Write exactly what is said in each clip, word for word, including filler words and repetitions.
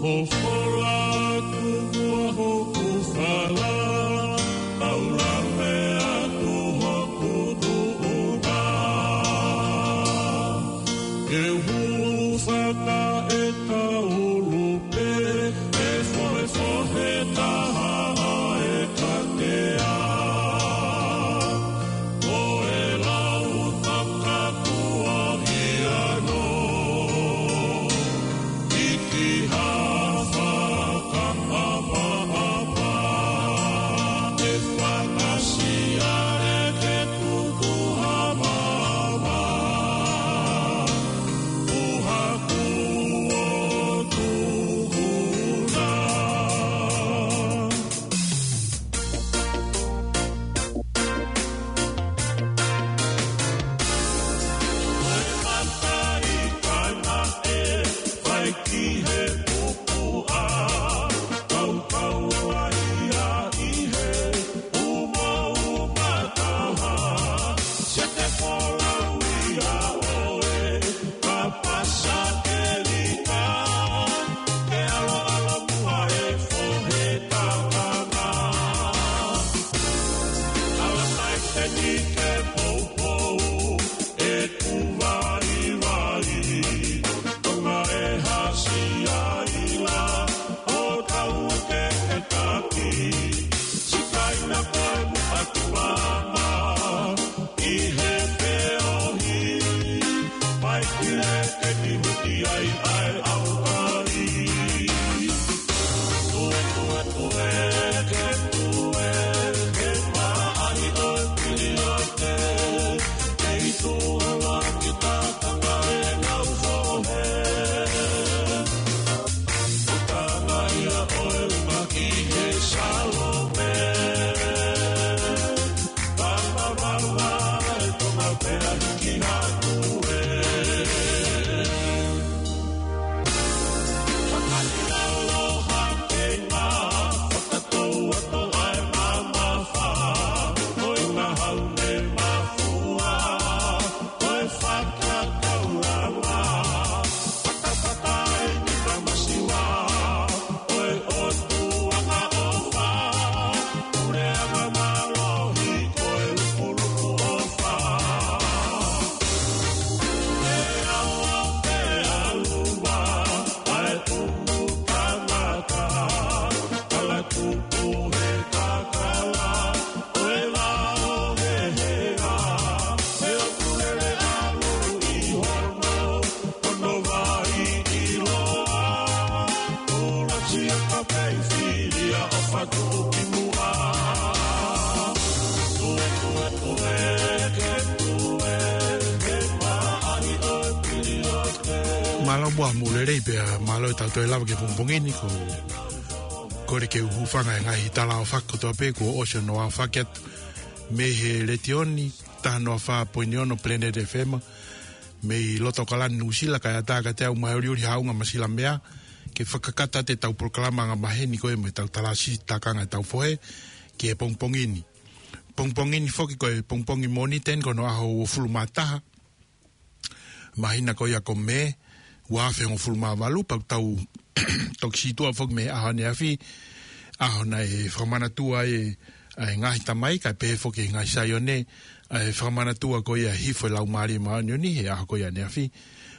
Ko fola atu ua hoku fala, ʻau lave atu hoku tuʻunga. Ke hūfanga e kaulu pē, ʻe fohefohe taha ʻa e katea. Ko e lau takapua ia no. Iki ha fakaʻapaʻapa, ʻe fakasia e ke tuku ha maama, ʻuha kuo tuku na. Mālō muʻa mo e lelei pea mālō e tau toe lava ki he pongipongi ni, ko e kole ke u hūfanga he ngaahi tala ʻofa kotoa pē kuo ʻosi hono ʻofa atu mei he letiō ni, taha noa fā poini ono Planet F M, mei loto ʻAokalani Nuʻusila, kae ʻatā kiate au Maheolioli Haʻunga Masilamea, ke fakakakato atu e tau polokalama angamaheni ko ē mo e tau talasitakanga e tau fohe ki he pongipongi ni. Pongipongi ni foki ko e pongipongi Mōnite ni, ko hono ʻaho uofulu mā taha, māhina ko ia ko Mē, ua afe hongofulu mā valu, pea tau toki sītuʻa foki mei he ʻaho ʻaneafi, ʻaho naʻe fakamanatua ai e, ʻa e ngaahi tamai, kae pehē foki e ngaahi Saione, ʻa e fakamanatua ko ia hifo e Laumālie Māʻoniʻoni he ʻaho ko ia ʻaneafi.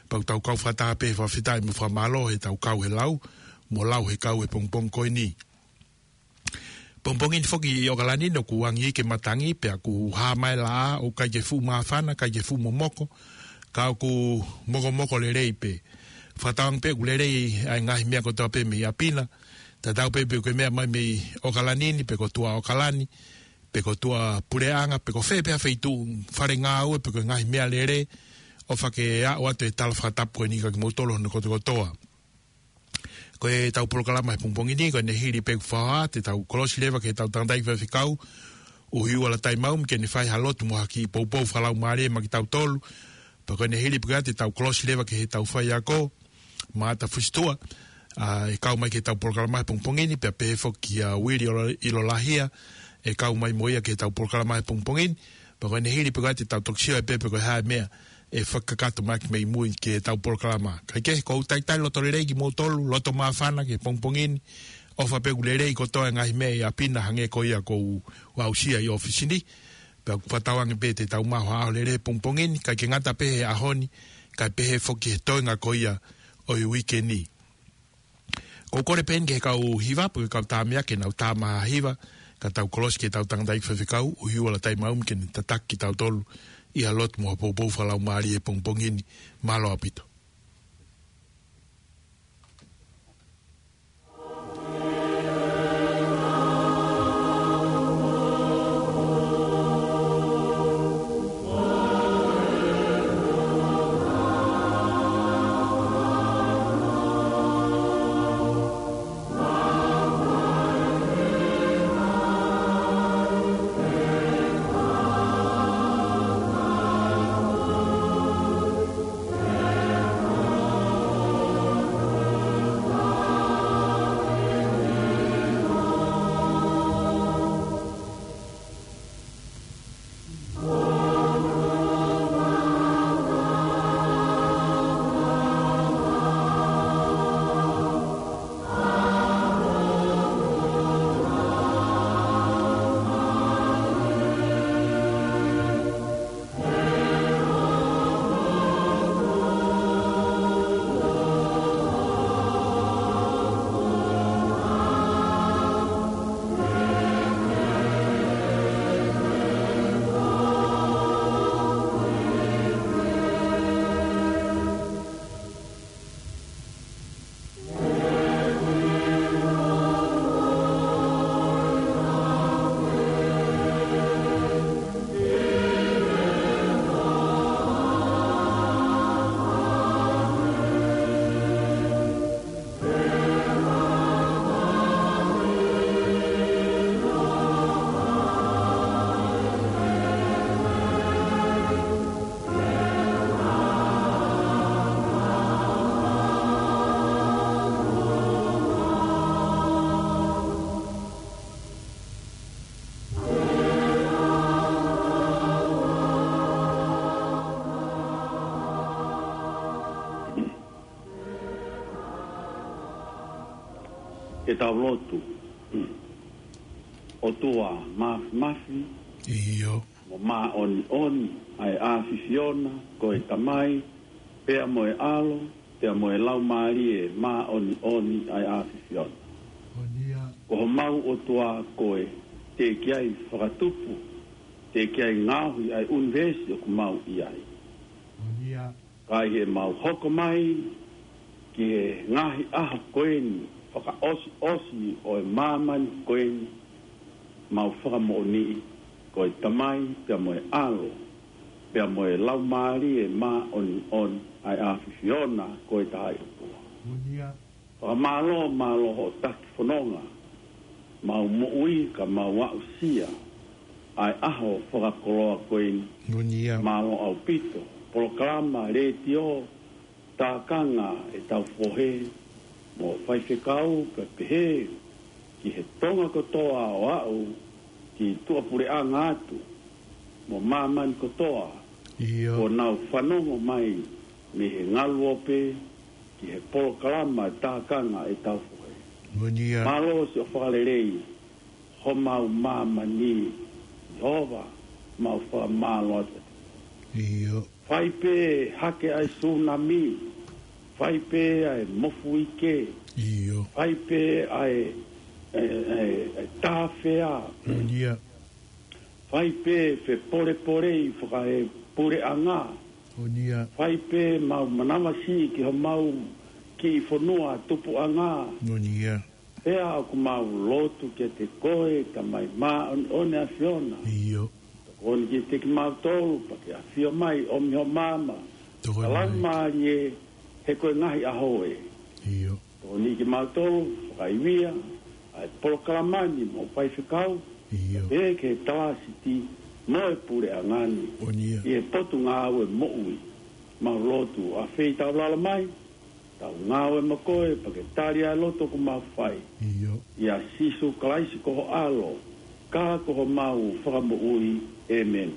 Pea tau kau fakataha pē he fakafetaʻi mo e fakamālō he tau kau he lau, mo lau he kau he pongipongi ko eni. Pongipongi ni foki ʻi ʻAokalani ni ʻoku angi ke matangi, pea ʻoku hā mai e laʻā, ʻoku ʻikai ke fuʻu māfana, ʻikai ke fuʻu momoko, ka ʻoku mokomoko lelei pē. Fakatauange pē ʻoku lelei ʻa e ngaahi meʻa kotoa pē mei ʻapi na, tatau pē pe ʻoku ke meʻa mai mei ʻAokalani ni, pe ko Tuʻa ʻAokalani, pe ko Tuʻa Puleʻanga, pe ko fē pē ha feituʻu, fale ngāue, pe ko e ngaahi meʻalele, ʻofa ke aʻu atu e tala fakatapu ko eni kiate kimoutolu hono kotokotoa. Ko e tau polokalama he pongipongi ni, ko ʻene hili pē kuo fai atu e tau kolosi leva ki he tau tangataʻeiki faifekau, ʻUhiua Lātaimaumi, ke ne fai ha lotu mo ha kiʻi poupou fakalaumālie maʻa kitautolu. Pea ko ʻene hili pē ko ia te tau kolosi leva ki he tau faiako, Maʻata Fusituʻa, ʻa, ʻe kau mai ki he tau polokalama he pongipongi ni, pea pehē foki kia Uili ʻIlo-, ʻIlolahia, ʻe kau mai mo ia ki he tau polokalama he pongipongi ni. Pea ko ʻene hili pē ko ia te tau toki sio ai pē pe ko e hā e meʻa ʻe fakakakato mai ki mei mui ki heʻetau polokalama. Kae kehe, ʻoku ou talitali loto lelei kimoutolu, loto māfana ki he pongipongi ni, ʻofa pē ʻoku lelei kotoa e ngaahi meʻa ʻi ʻapi na hangē ko ia ʻoku ou aʻusia ʻi ʻōfisi ni, pea ʻoku fakatauange pē te tau maʻu ha ʻaho lelei he pongipongi ni, ʻikai ke ngata pē he ʻaho ni, kae pehē foki he toenga ko ia ʻo e uike ni. ʻOku ou kole pē eni ki he kau hiva, pe ko e kau tā meʻa ke nau tā mai ha hiva, ka tau kolosi ki heʻetau tangataʻeiki faifekau, ʻUhiua Lataimaaumi ke ne tataki kitautolu ʻi ha lotu mo ha poupou fakalaumālie he pongipongi ni, mālō ʻaupito. Ke tau lotu. ʻOtua māfimafi, ʻio, mo māʻoniʻoni ʻa e ʻAfiona, ko e Tamai, pea mo e ʻAlo, pea mo e Laumālie Māʻoniʻoni ʻa e ʻAfiona. Ko homau ʻOtua koe, teʻeki ai fakatupu, teʻeki ai ngaohi ʻa e ʻunivēsi ʻoku mau ʻi ai. Ka ʻi heʻemau hoko mai ki he ngaahi ʻaho ko eni fakaʻosiʻosi ʻo e māmani ko eni, mau fakamoʻoniʻi ko e Tamai pea mo e ʻAlo pea mo e Laumālie Māʻoniʻoni ʻa e ʻAfiona ko e Tahaʻi ʻOtua. Fakamālō, mālō hoʻo taki fononga, mau moʻui ka mau aʻusia ʻa e ʻaho fakakoloa ko eni. Mālō ʻaupito, polokalama letiō, tākanga ʻetau fohe, mo faifekau, kae pehē ki he Tonga kotoa ʻo aʻu ki tuʻapuleʻanga atu, mo māmani kotoa, ʻio, ʻoku nau fanongo mai mei he ngaluope ki he polokalama tākanga ʻetau fohe. Mālō siʻo fakalelei homau māmani, Sihova, mau fakamālō atu. Fai pē hake ʻa e sūnami, fai pē ʻa e mofuike, fai pē ʻa e, ʻa e, ʻa e, ʻa e tāfea, fai pē fepolepolei fakaepuleʻanga, fai pē mau manavasiʻi ki homau kiʻi fonua tupuʻanga. Pea ʻoku mau lotu kiate koe, Tamai māʻoniʻoni ʻAfiona. Tokoni kiate kimautolu, pea ke ʻafio mai, ʻomi ho maama, Laumālie, he ko e ngaahi ʻaho ē. Tokoni kimautolu, fakaivia ʻa e polokalama ni mo faifekau, pea ke talasiti mo e puleʻanga ni ʻi he Potungāue Moʻui. Mau lotu, ʻafeitaulalo mai, tau ngāue mo koe, pea ke tali ʻa e lotu ʻoku mau fai. ʻIa Sīsū Kalaisi ko ho ʻAlo, ka ko homau Fakamoʻui. ʻĒmeni.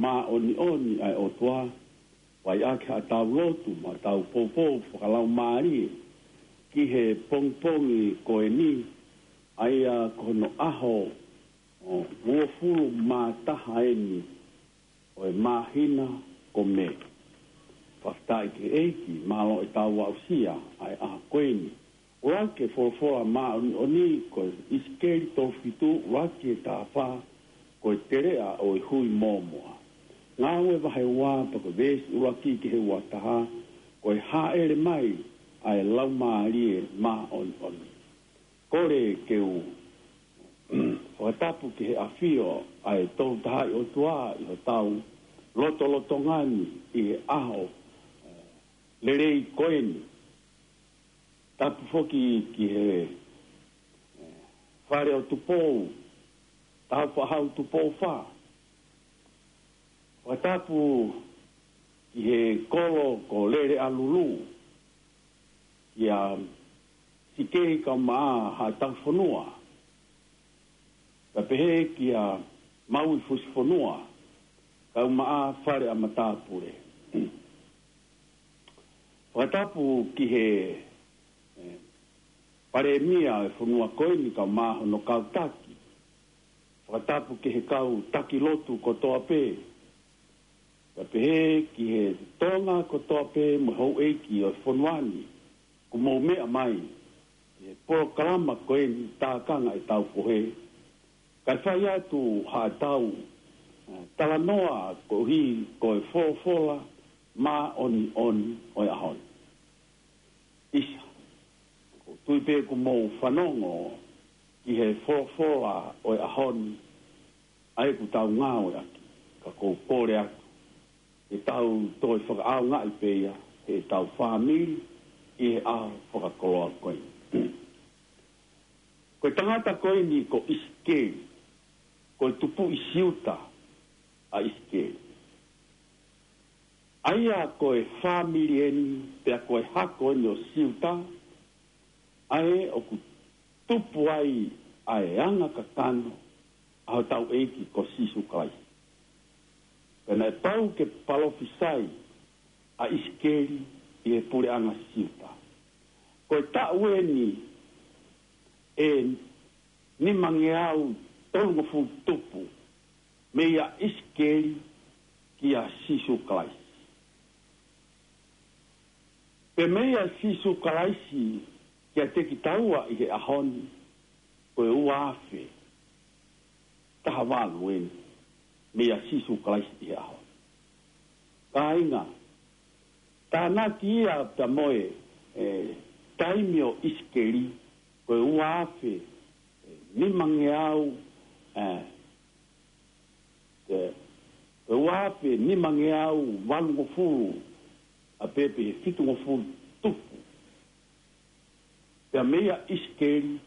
māʻoniʻoni ʻa e ʻOtua, fai ʻaki haʻatau lotu mo haʻatau poupou fakalaumālie ki he pongipongi ko eni, ʻa ia ko hono ʻaho ʻo uofulu mā taha eni ʻo e māhina ko Mē. Fakafetaʻi ki he ʻEiki, mālō ʻetau aʻusia ʻa e ʻaho ko eni. ʻUluaki e folofola māʻoniʻoni ko ʻIsikeli tolu fitu, ʻuluaki ki he taha fā, ko e teleʻa ʻo e hui mōmoa. Ngāue vahe ua pea ko e veesi ʻuluaki ki he ua taha, ko e hāʻele mai ʻa e Laumālie Māʻoniʻoni. Kole ke u fakatapu ki he ʻafio ʻa e Tolu Tahaʻi ʻOtua ʻi hotau lotolotonga ni ʻi he ʻaho, eh, lelei ko eni. Tapu foki ki he, eh, fale ʻo Tupou, Taufaʻahau Tupou Fā. Fakatapu ki he kolo ko Lele ʻAlulu, kia Sikei Kaumaʻa Haʻataufonua, pea pehē kia Maui Fusifonua, Kaumaʻa Fale ʻa Matāpule. Fakatapu ki he, eh, Palēmia ʻo e fonua ko eni kae ʻumaʻā hono kau taki. Fakatapu ki he kau taki lotu kotoa pē. Pea pehē ki he Tonga kotoa pē mo e houʻeiki ʻo e fonua ni, kuo mou meʻa mai ki he polokalama ko eni tākanga ʻetau fohe. Kae fai atu haʻatau, eh, talanoa koeʻuhi ko e folofola māʻoniʻoni ʻo e ʻaho ni. ʻIsa, ʻoku ou tui pē kuo mou fanongo ki he folofola ʻo e ʻaho ni, ʻa ia ʻoku tau ngāueʻaki, ka ʻoku ou kole atu ke tau toe fakaʻaongaʻi pē ia heʻetau fāmili ʻi he ʻaho fakakoloa ko eni. Ko e tangata ko eni ko ʻIsikeli, ko e tupuʻi Siuta ʻa ʻIsikeli. ʻA ia ko e fāmili eni, pea ko e hako eni ʻo Siuta, ʻa ē ʻoku tupu ai ʻa e anga kakano ʻa hotau ʻEiki ko Sīsū Kalaisi. Pea naʻe pau ke palofisai ʻa ʻIsikeli ʻi he puleʻanga Siuta. Ko e taʻu eni ʻe nimangeau tolungofulu tupu, meia ʻIsikeli kia Sīsū Kalaisi. Pea meia Sīsū Kalaisi kiate kitaua ʻi he ʻaho ni, ko e ua afe taha valu eni, meia Sīsū Kalaisi ʻi he ʻaho ni. Kāinga, tānaki ia pea mo e, e, taimi ʻo ʻIsikeli, ko e ua afe, e, nimangeau, e, e, ko e ua afe nimangeau valungofulu, ʻa pē pē he fitungofulu tupu. Pea meia ʻIsikeli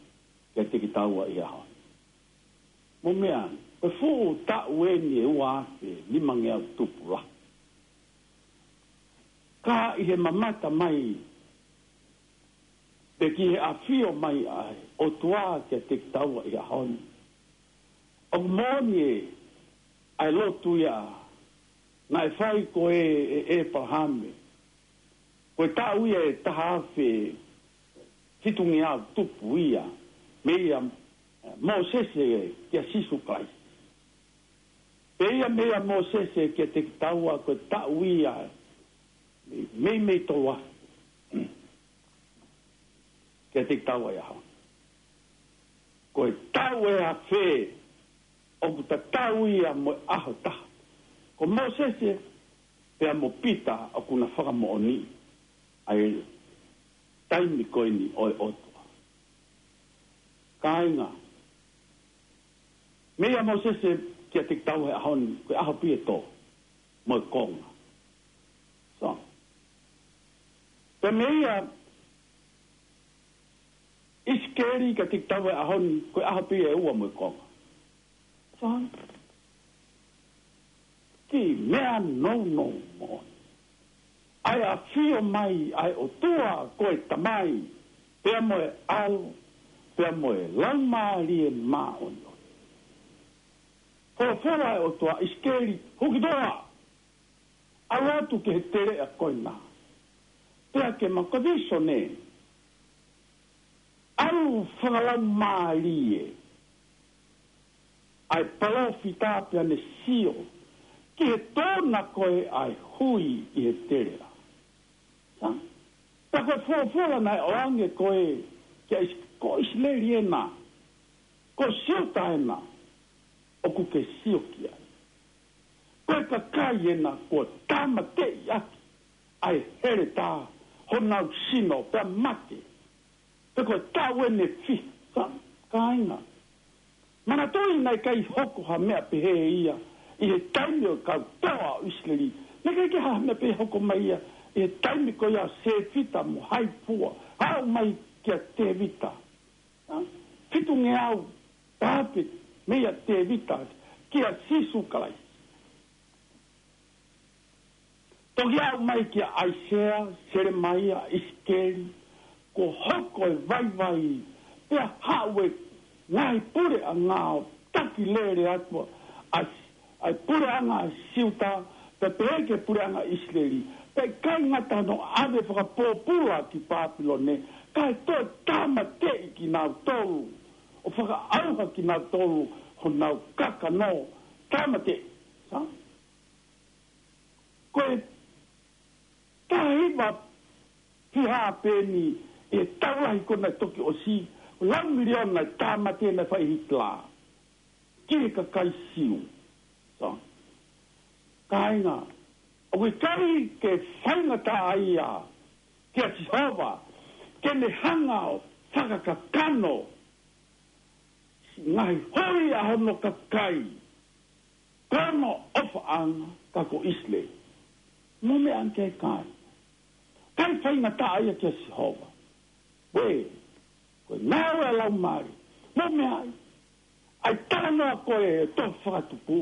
kiate kitaua ʻi he ʻaho ni. Mou meʻa, ko e fuʻu taʻu eni e ua afe nimangeau tupu lahi. Ka ʻi he mamata mai, pe ki he ʻafio mai ʻa e ʻOtua kiate kitaua ʻi he ʻaho ni. ʻOku moʻoni ē, ʻa e lotu ia naʻe fai ko ē ʻe ʻĒpalahame. Ko e taʻu ia ʻe taha afe fitungeau tupu ia, meia, e, Mōsese kia Sīsū Kalaisi. Pea ia meia Mōsese kiate kitaua ko e taʻu ia, meimei tolu afe kiate kitaua ʻi he ʻaho ni. Ko e taʻu ʻe afe ʻoku tatau ia mo e ʻaho taha. Ko Mōsese pea mo Pita ʻoku na fakamoʻoniʻi ʻa e taimi ko eni ʻo e ʻOtua. Kāinga, meia Mōsese kiate kitaua he ʻaho ni, ko e ʻaho pē ʻe tolu mo e konga. So, pea meia ʻIsikeli kiate kitaua he ʻaho ni, ko e ʻaho pē ʻe ua mo e konga. So, kiʻi meʻa nounou moʻoni. ʻA e ʻafio mai ʻa e ʻOtua ko e Tamai, pea mo e ʻAlo, pea mo e Laumālie Māʻoniʻoni. Folofola ʻa e ʻOtua, ʻIsikeli, huki toa. ʻAlu atu ki he teleʻa ko ena. Pea ke maʻu ha vīsone. ʻAlu fakalaumālie ʻa e palōfita pea ne sio ki he tōna ko ē ʻa e hui ʻi he teleʻa. Sa? Pea ko e folofola naʻe ʻoange ko ē kia ʻIs-, ko ʻIsileli ena, ko Siuta ena, ʻoku ke sio ki ai. Ko e kakai ena kuo tāmateʻi ʻaki ʻa e heletā honau sino pea mate. Pe ko e taʻu ʻe fiha, sa, kāinga. Manatuʻi naʻe ʻikai hoko ha meʻa pehē ia ʻi he taimi ʻo e kau toa ʻo ʻIsileli. Naʻe ʻikai ke ha meʻa pehē hoko mai ia ʻi he taimi ko ia ʻo Sefita mo Haipua, aʻu mai kia Tēvita. Sa? Fitungeau tāpē meia Tēvita kia Sīsū Kalaisi. Toki aʻu mai kia ʻAisea, Selemaia, ʻIsikeli, kuo hoko e vaivai, pea haʻu e ngaahi puleʻanga ʻo taki lele atu ʻa, ʻa e puleʻanga ʻa Siuta, pea pehē ki he puleʻanga ʻIsileli. Pea ʻikai ngata hono ʻave fakapōpula ki Pāpilone, kae toe tāmateʻi kinautolu, ʻo fakaʻauha kinautolu honau kakano, tāmateʻi. Sa? Ko e taha hiva fiha pē eni ʻi he taʻu lahi ko ena toki ʻosi, lau miliona e tāmate naʻe fai ʻe Hitler ki he kakai Siu. Sa? Kāinga, ʻoku ʻikai ke faingataʻaʻia kia Sihova ke ne hanga ʻo fakakakano ngaahi hui ʻa hono kakai, ko hono ʻofaʻanga ka ko ʻIsileli. Mou meʻa ange ki ai, kāinga. ʻIkai faingataʻaʻia kia Sihova. Uē, ko e ngāue ʻa e Laumālie. Mou meʻa ai. ʻA e talanoa ko ē ʻo e tohi Fakatupu,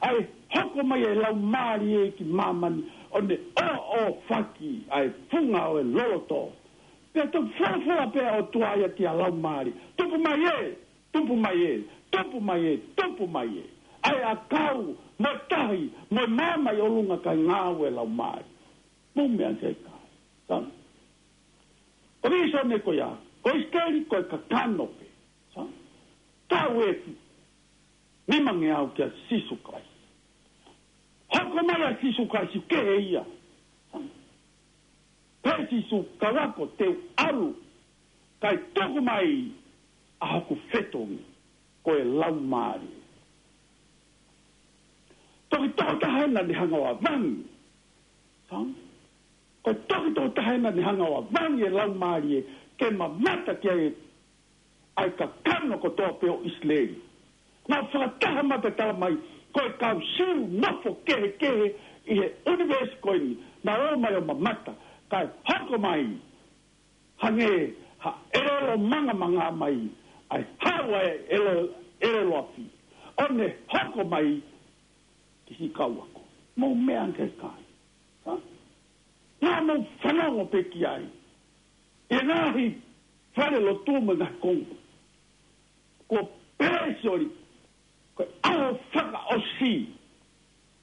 ʻa e hoko mai ʻa e Laumālie ki māmani ʻo ne ʻoʻofaki ʻa e funga ʻo e loloto. Pea toe folofola pē ʻa e ʻOtua ia ki he Laumālie, tupu mai ē, tupu mai ē, tupu mai ē, tupu mai ē. ʻA e ʻakau mo e tahi mo e maama ʻi ʻolunga, kae ngāue ʻa e Laumālie. Mou meʻa ange ki ai, kāinga. Sa? Ko e vīsone ko ia, ko ʻIsikeli ko e kakano pē. Sa? Taʻu ʻe fiha nimangeau kia Sīsū Kalaisi. Hoko mai ʻa Sīsū Kalaisi, kehe ia. Sa? Pehē ʻe Sīsū, kau ako te u ʻalu, kae tuku mai ʻa hoku fetongi, ko e Laumālie. Toki tokotaha ena ne hanga ʻo avangi. Sa? Ko e toki tokotaha ena ne hanga ʻo avangi e Laumālie ke mamata ki ai ʻa e kakano kotoa pē ʻo ʻIsileli. Naʻe fakataha mai pea tala mai, ko e kau Siu nofo kehekehe ʻi he ʻunivēsi ko eni, naʻe ō mai ʻo mamata, kae hoko mai hangē ha ʻelelo mangamanga mai, ʻa e haʻu ʻa e ʻelelo, ʻelelo afi, ʻo ne hoko mai ki he kau ako. Mou meʻa ange ki ai, kāinga. Sa? Naʻa mou fanongo pē ki ai ʻi he ngaahi falelotu mo e ngaahi konga. Ko e pēsoli, ko e ʻaho fakaʻosi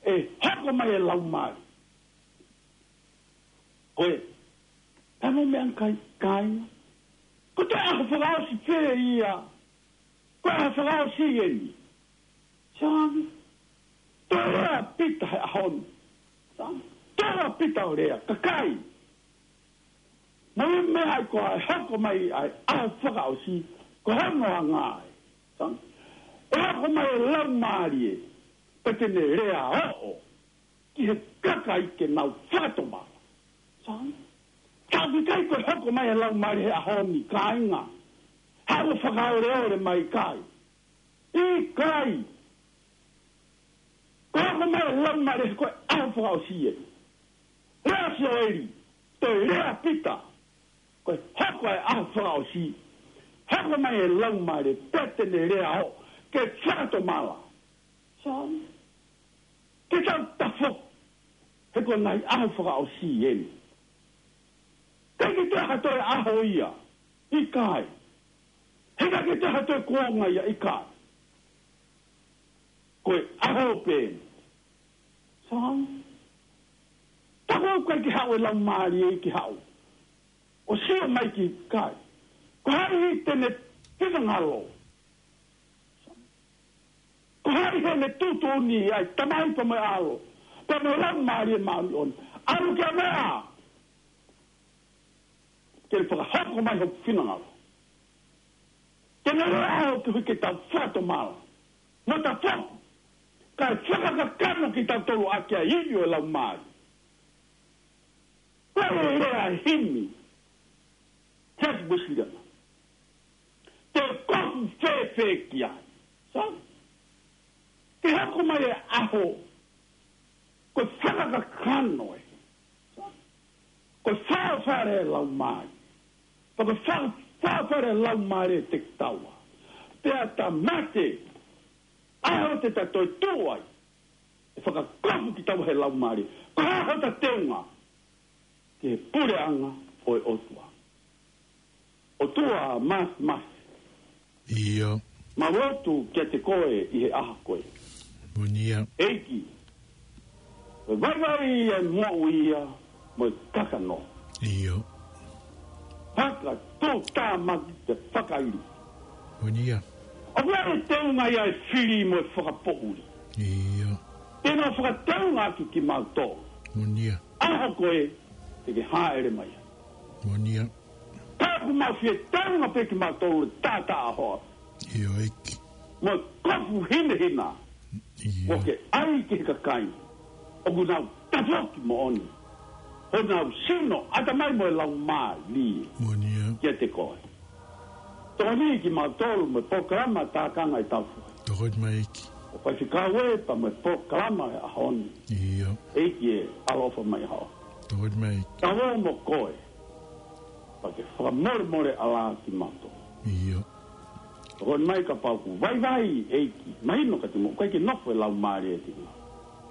ʻe hoko mai e Laumālie. Ko e, naʻa mou meʻa ange ki ai, kāinga. Ko e toe ʻaho fakaʻosi pē ia. Ko e ʻaho fakaʻosi eni. Sa? Toe lea ʻa Pita he ʻaho ni. Sa? Toe lea ʻa Pita ʻo lea, kakai, mou meʻa ai, ko e hoko mai ʻa e ʻaho fakaʻosi, ko hono anga ē. Sa? ʻE hoko mai e Laumālie, pea te ne lea ʻo ki he kakai ke nau fakatomala. Sa? Ka ʻoku ʻikai ko e hoko mai e Laumālie he ʻaho ni, kāinga, haʻu ʻo fakaoleole mai, ʻikai. ʻIkai. Ko e hoko mai e Laumālie ko e ʻaho fakaʻosi ē. Lea ʻa Sioeli, toe lea ʻa Pita, ko e hoko ʻa e ʻaho fakaʻosi, hoko mai e Laumālie, pea te ne lea ʻo ke fakatomala. Sa? Ke tau tafoki, he ko e ngaahi ʻaho fakaʻosi eni. ʻIkai ke toe ha toe ʻaho ia, ʻikai. He ʻikai ke toe ha toe kuonga ia, ʻikai. Ko e pē. Sai. Taku ʻoku ʻikai ke haʻu e Laumālie ke haʻu ʻo sio mai ki he kai. Ko hai te ne finangalo? Ko hai heʻene tuʻutuʻuni ai, Tamai pea mo e ʻAlo, pea mo e Laumālie Māʻoniʻoni? ʻAlu ki he meʻa, ke ne fakahoko mai hoku finangalo. Ke ne lea ʻo ke hui ke tau fakatomala mo tafoki, kae fakakakano kitautolu ʻaki ʻa e ivi ʻo e Laumālie. Ko e lea ʻa e himi, Jack Wesley, te u kofu fēfē ki ai? Sai. Ke hoko mai e ʻaho, ko e fakakakano ē. Sai. Ko e fāfale e Laumālie. Pea ko e fā-, fāfale e Laumālie te taua. Pea ta mate, ʻaho te ta toetuʻu ai, ʻe fakakofu kitaua he Laumālie. Ko e hā hota teunga? Ki he puleʻanga ʻo e ʻOtua. ʻOtua Māfimafi. ʻIo. Mau lotu kiate koe ʻi he ʻaho ko ē. Moʻoni ia. ʻEiki, ko e vaivai ʻa e moʻui ia mo e kakano. ʻIo. Fakatuʻutāmaki te fakaili. Moʻoni ia. ʻOku ʻi ai e teunga ia e fili mo e fakapoʻuli. ʻIo. Te nau fakateunga atu kimautolu. Moʻoni ia. ʻAho ko ē te ke hāʻele mai ai. Moʻoni ia. Ka ʻoku mau fie teunga pē kimautolu he taʻataʻa ʻaho. ʻIo, ʻEiki. Mo e kofu hinehina. ʻIo. ʻOku ke ʻai ki he kakai ʻoku nau tafoki moʻoni, honau sino, ʻatamai mo e laumālie. Moʻoni ia. Kiate koe. Tokoni kimautolu mo e polokalama Tākanga ʻi he Tau Foʻi. Tokoni mai ʻEiki. ʻO Faifekau ē pea mo e polokalama he ʻaho ni. ʻIo. ʻEiki ē, ʻaloʻofa mai ʻa hoʻo. Tokoni mai ʻEiki. Tau ō mo koe. Pea ke fakamolemole ʻalā kimautolu. ʻIo. Tokoni mai kapau ʻoku vaivai ʻEiki. Mahino ka te mo ʻikai ke nofo e laumālie ʻi he tingā.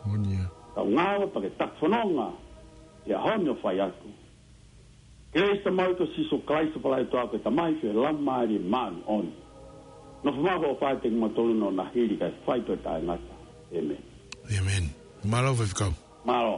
Moʻoni ia. Tau ngāue pea ke taki fononga ʻi he ʻaho ni ʻo fai atu. Kelesi ʻa e Tamai ko Sīsū Kalaisi, ʻofa lahi ʻa e ʻOtua ko e Tamai, feohi ʻa e Laumālie Māʻoniʻoni, nofo maʻu ʻo fai ʻiate kimautolu ʻo na hili kae fai toe taʻengata. ʻĒmeni. ʻĒmeni. Mālō Faifekau. Mālō.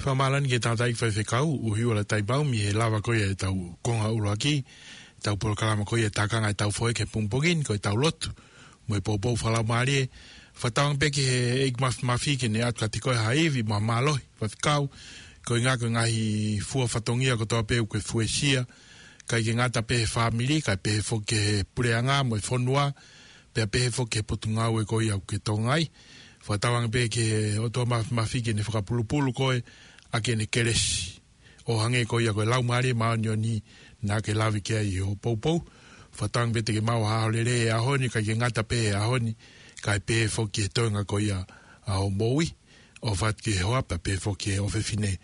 Fakamālō ʻeni ki he tangataʻeiki faifekau, ʻuhi ua la taipau mei he lava ko ia ʻetau konga ʻuluaki, ʻetau polokalama ko ia Tākanga ʻi he Tau Foʻi ki he pongipongi ni, ko ʻetau lotu mo e poupou fakalaumālie. Fakatauange pē ki he ʻEiki Māfimafi ke ne ʻatu kiate koe ha ivi mo e mālohi, faifekau, koeʻuhi ko e ngaahi fua fatongia kotoa pē ʻoku ke fuesia, ʻikai ke ngata pē he fāmili, kae pehē foki ki he puleʻanga mo e fonua, pea pehē foki ki he potungāue ko ia ʻoku ke tokangaʻi. Fakatauange pē ki he ʻOtua Māfimafi ke ne fakapulupulu koe ʻaki ʻene kelesi, ʻo hangē ko ia ko e Laumālie Māʻoniʻoni naʻa ke lave ki ai ʻi hoʻo poupou. Fakatauange pē te ke maʻu ha ʻaho lelei he ʻaho ni, ʻikai ke ngata pē he ʻaho ni, kae pehē foki ki he toenga ko ia ʻa hoʻo moʻui, ʻofa atu ki he hoa pea pehē foki ki he ʻofefine.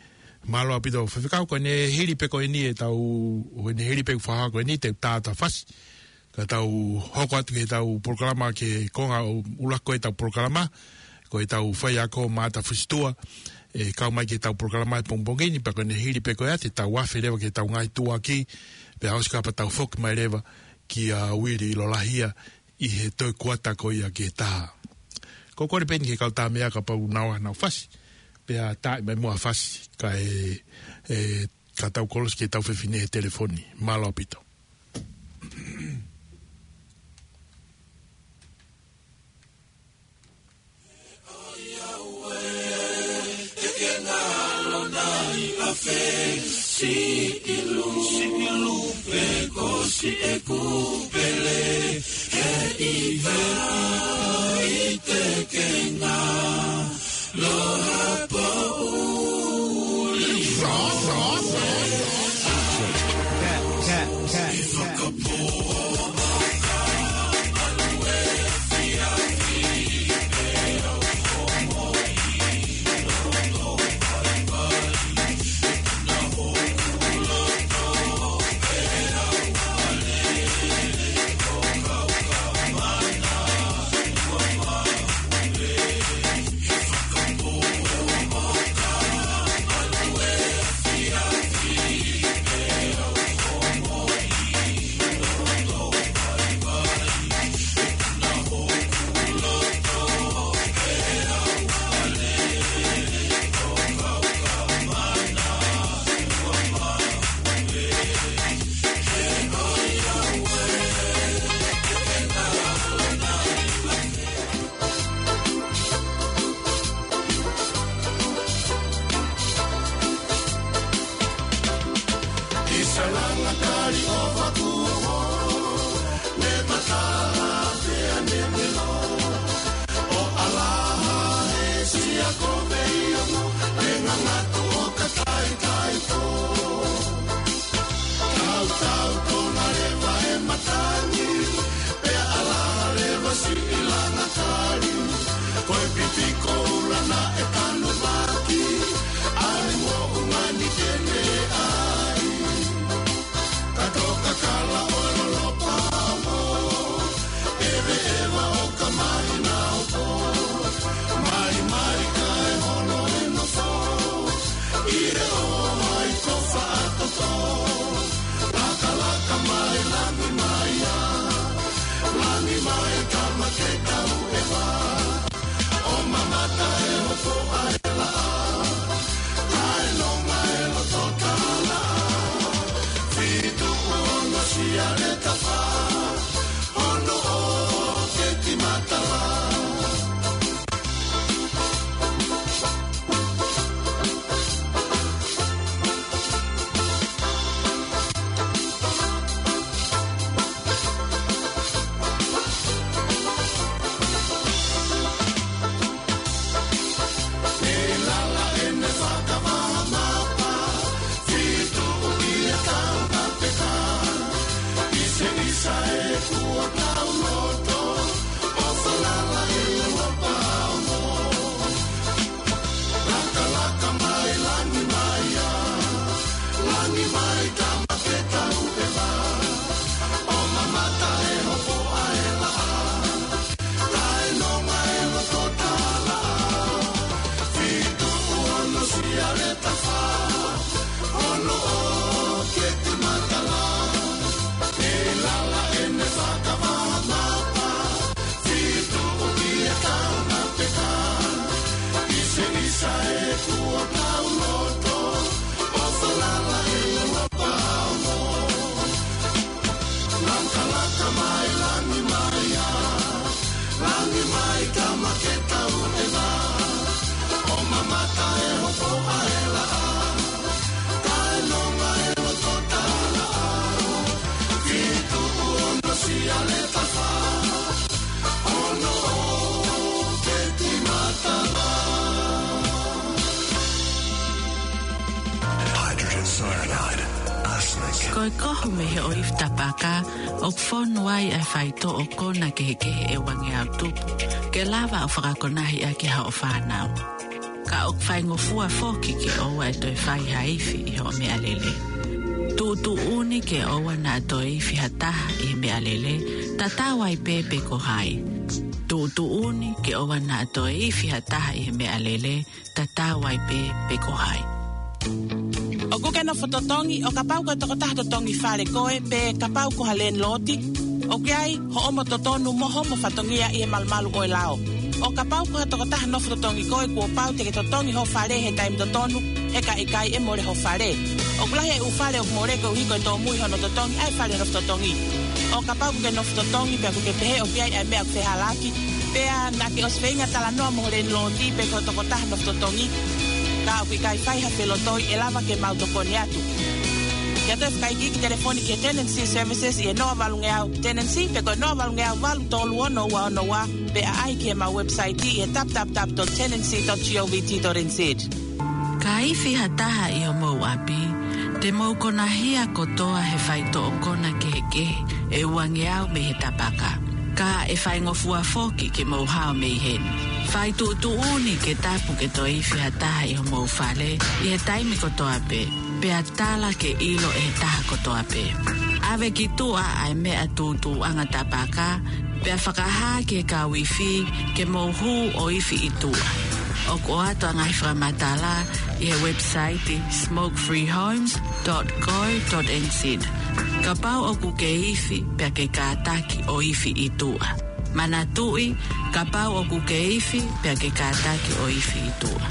Mālō ʻaupito faifekau, ko ʻene hili pē ko eni ʻetau, ko ʻene hili pē fakahā ko eni ʻetau taʻata fasi, ka tau hoko atu ki heʻetau polokalama ki he konga ʻuluaki ʻetau polokalama, ko ʻetau faiako Maʻata Fusitua, ʻe kau mai ki heʻetau polokalama he pongipongi ni, pea ko ʻene hili pē ko ia te tau afe leva ki heʻetau ngaahi tuʻuaki, pea ʻosi ko ia pea tau foki mai leva kia Uili Lolahia ʻi he toe kuata ko ia ki he taha. Ko e kole pē eni ki he kau Tāmeʻa kapau naʻa nau fasi, pea taaʻi mai muʻa fasi, kae, ʻe, ka tau kolosi ki heʻetau fefine he telefoni. Mālō ʻaupito. ʻOku ʻova kuo holo, ne tatala pea ne melo. ʻO ʻalaha he sia ko Veiono, ne ngangatu ʻo ka taitaipo. Tautau tona leva e matangi, pea ʻalaha leva siʻi langa kali. Ko e piti koula naʻe tanumaki, ʻa e moʻunga ni ke ne ʻai. Ka toka kala ʻo lolopa mo, ʻeveʻeva ʻo ka mai na o po. Mai mai kae holo e nofo, ʻi he ʻohai ko Faʻatoto. Lakalaka mai, langi mai ā, langi mai tama ke tau ʻeva. ʻO mamata e hopo ʻa e laʻā, kae nonga e loto tala. Fitu ono sia le tafa, ono o keti matala. Lakalaka mai, langi mai ā, langi mai tama ke tau ʻeva. ʻO mamata e hopo ʻa e laʻā, kae nonga e loto tala. Fitu ono sia le tafa, ono o keti matala. ʻE lala ʻene fakavaha mapa, fitu ʻi e kaunga peka. ʻIse ʻisa e kuo tau loto, ʻo falala e ua pao mo. Lakalaka mai, langi mai ā, langi mai tama ke tau ʻeva. ʻO mamata e hopo ʻa e laʻā, kae nonga e loto tala. Fitu ono sia le tafa, ono o keti matala. Hydrogen cyanide, arsenic. Ko e kohu mei he ʻoifi tapaka, ʻoku fonu ai ʻa e faitoʻo kona kehekehe ʻe uangeau tupu, ke lava ʻo fakakonahi ʻaki haʻo fānau. Ka ʻoku faingofua foki ke ʻoua ʻe toe fai ha ifi ʻi hoʻo meʻalele. Tuʻutuʻuni ke ʻoua naʻa toe ifi ha taha ʻi he meʻalele, tatau ai pē pe ko hai. Tuʻutuʻuni ke ʻoua naʻa toe ifi ha taha ʻi he meʻalele, tatau ai pē pe ko hai. ʻOku ke nofo totongi, ʻo kapau ko e tokotaha totongi fale koe, pe kapau ko ha landlord, ʻoku ʻi ai hoʻomo totonu mo hoʻomo fatongia ʻi he malumalu ʻo e lao. ʻO kapau ko ha tokotaha nofo totongi koe, kuo pau te ke totongi ho fale he taimi totonu, he ka ʻikai ʻe mole ho fale. ʻOku lahi e ʻū fale ʻoku mole koeʻuhi ko e tōmui hono totongi ʻa e fale nofo totongi. ʻO kapau ʻoku ke nofo totongi, pea ʻoku ke pehē ʻoku ʻi ai ʻa e meʻa ʻoku fehālaaki, pea naʻa ke ʻosi feinga talanoa mo ho landlord pe ko e tokotaha nofo totongi, ka ʻoku ʻikai fai ha felotoi, ʻe lava ke mau tokoni atu. Ke ʻoatu e fakaikiiki telefoni ki he Tenancy Services ʻi he noa valungeau tenancy, pe ko e noa valungeau valu tolu ono ua ono ua, pe ʻaʻahi ki heʻemau website ʻi he w w w dot tenancy dot govt dot n z. Ka ifi ha taha ʻi homou ʻapi, te mou konahia kotoa he faitoʻo kona kehekehe ʻe uangeau mei he tapaka. Ka ʻe faingofua foki ke mou hao mei heni. Fai tuʻutuʻuni ke tapu ke toe ifi ha taha ʻi homou fale ʻi he taimi kotoa pē, pea tala ke ʻilo ʻe he taha kotoa pē. ʻAve ki tuʻa ʻa e meʻa tuʻutuʻuʻanga tapaka, pea fakahā ki he kau ifi ke mou hū ʻo ifi ʻi tuʻa. ʻOku ʻoatu ʻa e ngaahi fakamatala ʻi he website smoke free homes dot co dot n z. Kapau ʻoku ke ifi, pea ke kātaki ʻo ifi ʻi tuʻa. Manatuʻi, kapau ʻoku ke ifi, pea ke kātaki ʻo ifi ʻi tuʻa.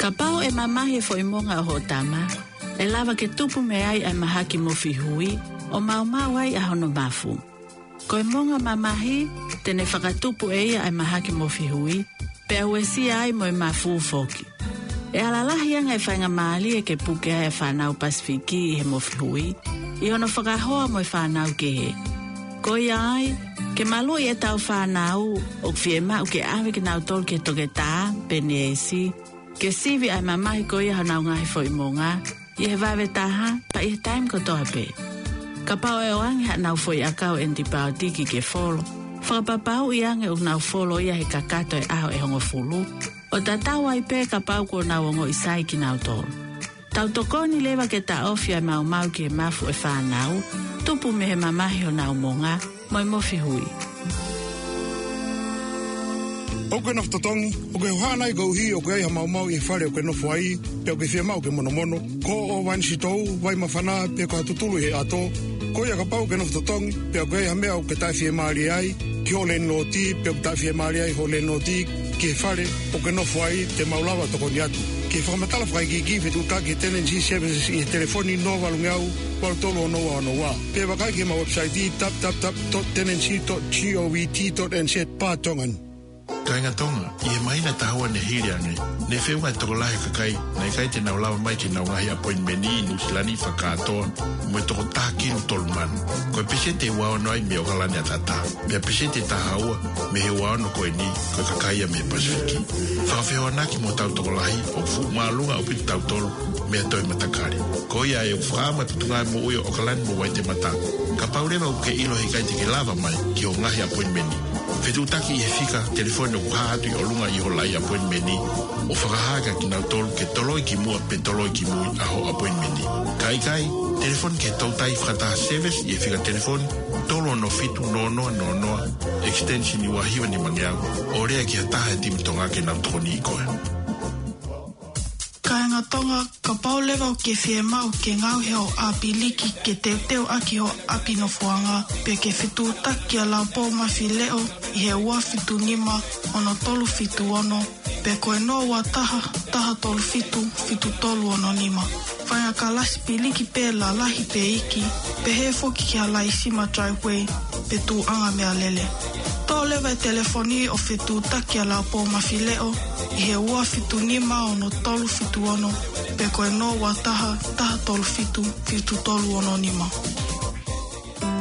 Kapau ʻe mamahi e foʻi monga ʻo hoʻo tama, ʻe lava ke tupu mei ai ʻa e mahaki mofi hui, ʻo maumau ai ʻa hono mafu. Ko e monga mamahi, te ne fakatupu ʻe ia ʻa e mahaki mofi hui, pea uesia ai mo e mafu foki. ʻE ala lahi ange e faingamālie ke puke ai e fānau Pasifiki ʻi he Mofihui, ʻi hono fakahoa mo e fānau kehe. Ko ia ai, ke maluʻi ʻetau fānau, ʻoku fiemaʻu ke ʻave kinautolu ki he toketā pe neesi, ke sivi ʻa e mamahi ko ia honau ngaahi foʻi monga, ʻi he vave taha, pea ʻi he taimi kotoa pē. Kapau ʻe ʻoange haʻanau foʻi ʻakau ʻenipaotiki ke folo, fakapapauʻi ange ʻoku nau folo ia he kakato e ʻaho ʻe hongofulu, ʻo tatau ai pē kapau kuo nau ongoʻi sai kinautolu. Tau tokoni leva ke taʻofi ʻa e maumau ki he mafu ʻo e fānau, tupu mei he mamahi honau monga, mo e Mofihui. ʻOku ke nofo totongi, ʻoku ke hohaʻa nai koeʻuhi ʻoku ʻi ai ha maumau ʻi he fale ʻoku ke nofo ai, pe ʻoku ke fiemaʻu ke monomono, ko hoʻo vai sitou, vai māfana, pe ko ha tutulu ʻi he ʻato, ko ia kapau ʻoku ke nofo totongi, pe ʻoku ʻi ai ha meʻa ʻoku ke taʻefiemālie ai, ki hoʻo lēniloti, pe ʻoku taʻefiemālie ai hoʻo lēniloti, ki he fale ʻoku ke nofo ai, te mau lava tokoni atu. Ke fakamatala fakaikiiki, fetuʻutaki he Tenancy Services ʻi he telefoni noa valu ngeau, valu tolu ono ua ono ua. Pe vakai ki heʻemau website, w w w dot tenancy dot govt dot n z barra Tongan. Kāinga Tonga, ʻi he māhina ʻe taha ua ne hili ange, ne feʻunga e tokolahi e kakai naʻe ʻikai te nau lava mai ki heʻenau ngaahi appointment ʻi Nuʻu Sila ni fakakātoa mo e toko taha kilu tolu mano. Ko e peseti ʻe ua ono ai mei ʻOkalani ʻataʻatā. Pea peseti ʻe taha ua mei he ua ono ko eni, ko e kakai ia mei he Pasifiki. Fakafehoanaki mo hotau tokolahi, ʻoku fuʻu māʻolunga ʻaupito kitautolu mei ha toe matakali. Ko ia ai ʻoku fakaʻamu e Potungāue Moʻui ʻo ʻOkalani mo Waitemata, kapau leva ʻoku ke ʻilo he ʻikai te ke lava mai ki hoʻo ngaahi appointment, fetuʻutaki ʻi he fika telefoni ʻoku hā atu ʻi ʻolunga ʻi hoʻo laʻi appointment, ʻo fakahā kia kinautolu ke toloi ki muʻa pe toloi ki mui ʻa hoʻo appointment. Ka ʻikai, telefoni ki he Toutai Fakataha Service ʻi he fika telefoni tolu ono fitu noa noa noa noa, extension ua hiva nima ngeau, ʻo lea ki ha taha e timi Tonga ke nau tokoniʻi koe. Kāinga Tonga, kapau leva ʻoku ke fiemaʻu ke ngaohi hoʻo ʻāpiliki ke teuteu ʻaki hoʻo ʻapi nofoʻanga, pe ke fetuʻutaki kia Laupō Mafileʻo ʻi he ua fitu nima ono tolu fitu ono, pe ko e noa ua taha, taha tolu fitu, fitu tolu ono nima. Faʻahinga kalasi piliki pē lalahi pe iiki, pehē foki ki ha laisima driveway, pe tuʻuʻanga meʻalele. Toʻo leva e telefoni ʻo fetuʻutaki kia Laupō Mafileʻo ʻi he ua fitu nima ono tolu fitu ono, pe ko e noa ua taha, taha tolu fitu, fitu tolu ono nima.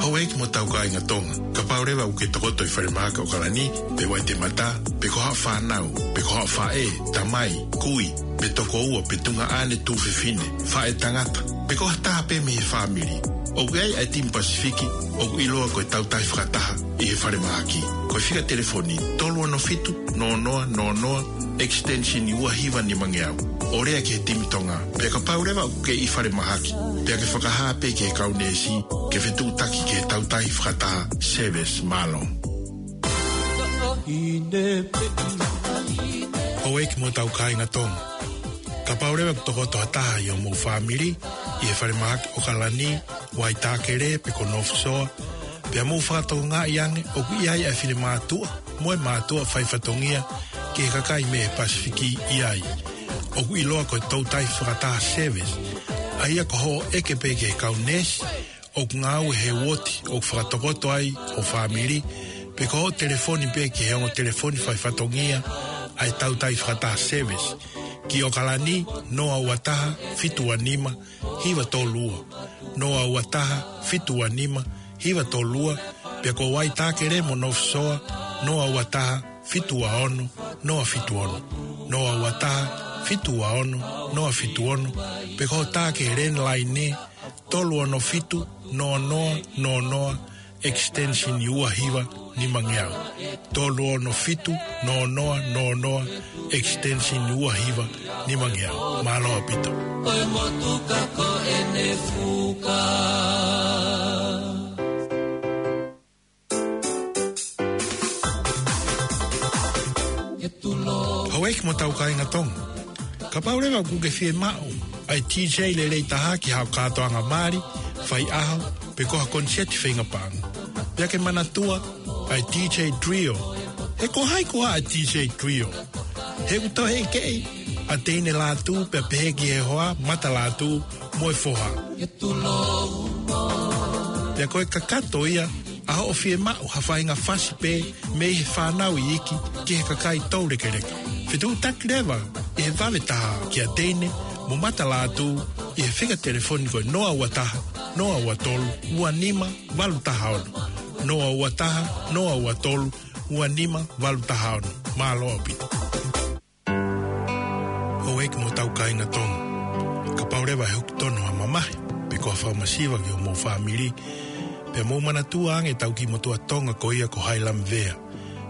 Houʻeiki mo hotau kāinga Tonga, kapau leva ʻoku ke tokoto ʻi he falemahaki ʻOkalani, pe Waitemata, pe ko haʻo fānau, pe ko haʻo faʻē, tamai, kui, pe tokoua, pe tuongaʻane tuofefine, faʻētangata, pe ko ha taha pē mei he fāmili ʻoku ʻi ai ʻa e timi Pasifiki, ʻoku ʻiloa ko e Toutai Fakataha ʻi he falemahaki. Ko e fika telefoni tolu ono fitu noa noa noa noa, extension ua hiva nima ngeau, ʻo lea ki he timi Tonga. Pea kapau leva ʻoku ke ʻi falemahaki, pea ke fakahā pē ki he kau neesi ke fetuʻutaki ki he Toutai Fakataha Service. Mālō. Houʻeiki mo hotau kāinga Tonga, kapau leva ʻoku tokoto ha taha ʻi hoʻomou fāmili ʻi he falemahaki ʻOkalani, Waitākele pe ko North Shore, pea mou fakatokangaʻi ange ʻoku ʻi ai ʻa e finemātuʻa mo e mātuʻa faifatongia ki he kakai mei he Pasifiki ʻi ai, ʻoku ʻiloa ko e Toutai Fakataha Service, ʻa ia ko hoʻo ʻeke pē ki he kau neesi ʻoku ngāue he uooti ʻoku fakatokoto ai ho fāmili, pe ko hoʻo telefoni pē ki he ongo telefoni faifatongia ʻa e Toutai Fakataha Service, ki ʻOkalani, noa ua taha, fitu ua nima, hiva tolu ua, noa ua taha, fitu ua nima, hiva tolu ua, pea ko Waitākele mo North Shore, noa ua taha, fitu ua ono, noa fitu ono, noa ua taha, fitu ua ono, noa fitu ono, pe ko hoʻo tā ki he landline, tolu ono fitu noa noa noa noa, extension ua hiva nima ngeau. Tolu ono fitu noa noa noa noa, extension ua hiva nima ngeau. Mālō ʻaupito. Ko e motuka ko ʻene fuka. Houʻeiki mo hotau kāinga Tonga, kapau leva ʻoku ke fiemaʻu ʻa e DJ lelei taha ki haʻo kātoanga mali, faiʻaho, pe ko ha koniseti feinga paʻanga, pea ke manatua ʻa e DJ Trio. He ko hai koā ʻa e DJ Trio? He ʻoku tauhi ʻe he keʻi ʻa Teine Lātū, pea pehē ki he hoa, Mata Lātū mo e foha. Pea ko e kakato ia ʻa hoʻo fiemaʻu ha faʻahinga fasi pē mei he fānau iiki ki he kakai toulekeleka. Fetuʻutaki leva ʻi he vave taha kia Teine, mo Mata Lātū, ʻi he fika telefoni ko e noa ua taha, noa ua tolu, ua nima, valu taha ono. Noa ua taha, noa ua tolu, ua nima, valu taha ono. Mālō ʻaupito. Houʻeiki mo hotau kāinga Tonga. Kapau leva ʻe hoko tonu ha mamahi, pe ko ha fakamasiva ki homou fāmili, pea mou manatua ange ʻetau kiʻi motuʻa Tonga ko ia ko Hailamvea.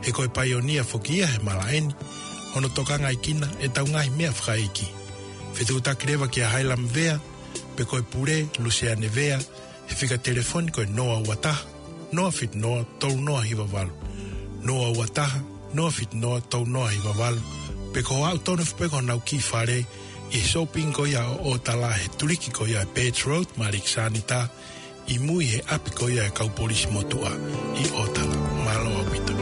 He ko e paionia foki ia he malaʻe ni, hono tokangaʻi kina ʻetau ngaahi meʻa fakaʻeiki. Fetuʻutaki leva kia Hailamvea, pe ko e pule, Luseane Vea, he fika telefoni ko e noa ua taha, noa fitu noa, tolu noa hiva valu. Noa ua taha, noa fitu noa, tolu noa hiva valu. Pe ko e aʻu tonu foki pē ki honau kiʻi fale, ʻi he shopping ko ia ʻo ʻOtala he tuliki ko ia ʻa Birch Road, mo Alexander, ʻi mui he ʻapi ko ia ʻa e kau polisi motuʻa ʻi ʻOtala. Mālō ʻaupito.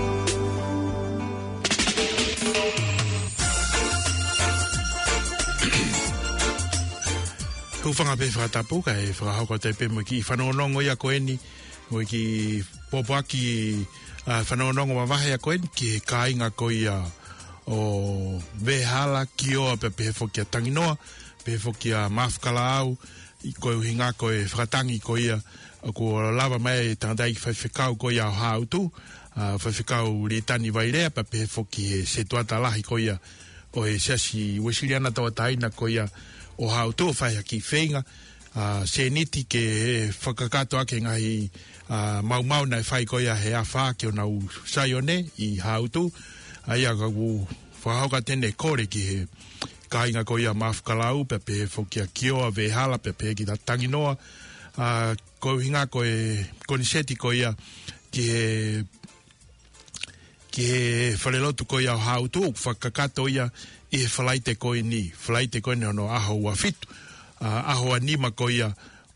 Hūfanga pē he fakatapu kae fakahoko atu pē mo e kiʻi fanongonongo ia ko eni, mo e kiʻi pōpoaki, ʻa, fanongonongo mavahe ia ko eni ki he kāinga ko ia ʻo Vehala, Kioa, pea pehē foki ʻa Tanginoa, pehē foki ʻa Maʻufukalaau, ʻi he ʻuhinga ko e fakatangi ko ia, ʻoku lava mai e tangataʻeiki faifekau ko ia ʻo Haʻutu, ʻa, Faifekau Litani Vailea, pea pehē foki he setuata lahi ko ia ʻo e Siasi Uēsiliana Tauʻatāina ko ia ʻo Haʻutu ʻo fai ha kiʻi feinga, ʻa, sēniti ke fakakakato ʻaki e ngaahi, ʻa, maumau naʻe fai ko ia he afā ki honau Saione ʻi Haʻutu. ʻA ia ka u fakahoko atu eni e kole ki he kāinga ko ia Maʻufukalaau, pea pehē foki ʻa Kioa, Vehala, pea pehē ki Tanginoa, ʻa, ko e ʻuhinga ko e koniseti ko ia ki he ki he falelotu ko ia ʻo Haʻutu, ʻoku fakakakato ia ʻi he Falaite ko eni, Falaite ko eni hono ʻaho ua fitu, ʻa, ʻaho ua nima ko ia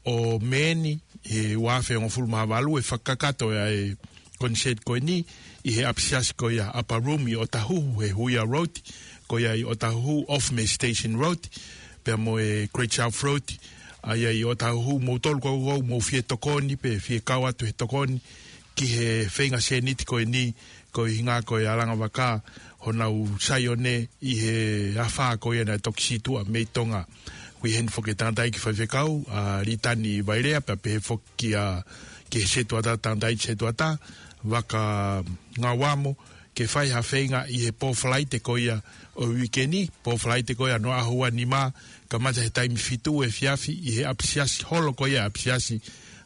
ʻo Mē ni, he ua afe hongofulu mā valu, ʻe fakakakato ʻa e koniseti ko eni ʻi he ʻapisiasi ko ia Upper Room ʻi ʻOtahuhu he Huia Road, ko ia ʻi ʻOtahuhu, off mei he Station Road, pea mo e Great South Road, ʻa ia ʻi ʻOtahuhu, moutolu ʻoku mou fie tokoni, pe fie kau atu he tokoni, ki he feinga sēniti ko eni, ko e ʻuhinga ko e Alanga Vaka, honau Saione ʻi he afā ko ia naʻe toki sītuʻa mei Tonga. Ko e ʻuhinga foki e tangataʻeiki faifekau, ʻa Litani Vailea, pea pehē foki ʻa, ki he setuata, tangataʻeiki setuata, Vakangauamo, ke fai ha feinga ʻi he pō Falaite ko ia ʻo e uike ni, pō Falaite ko ia hono ʻaho ua nima, kamata he taimi fitu efiafi ʻi he ʻapisiasi holo ko ia ʻapisiasi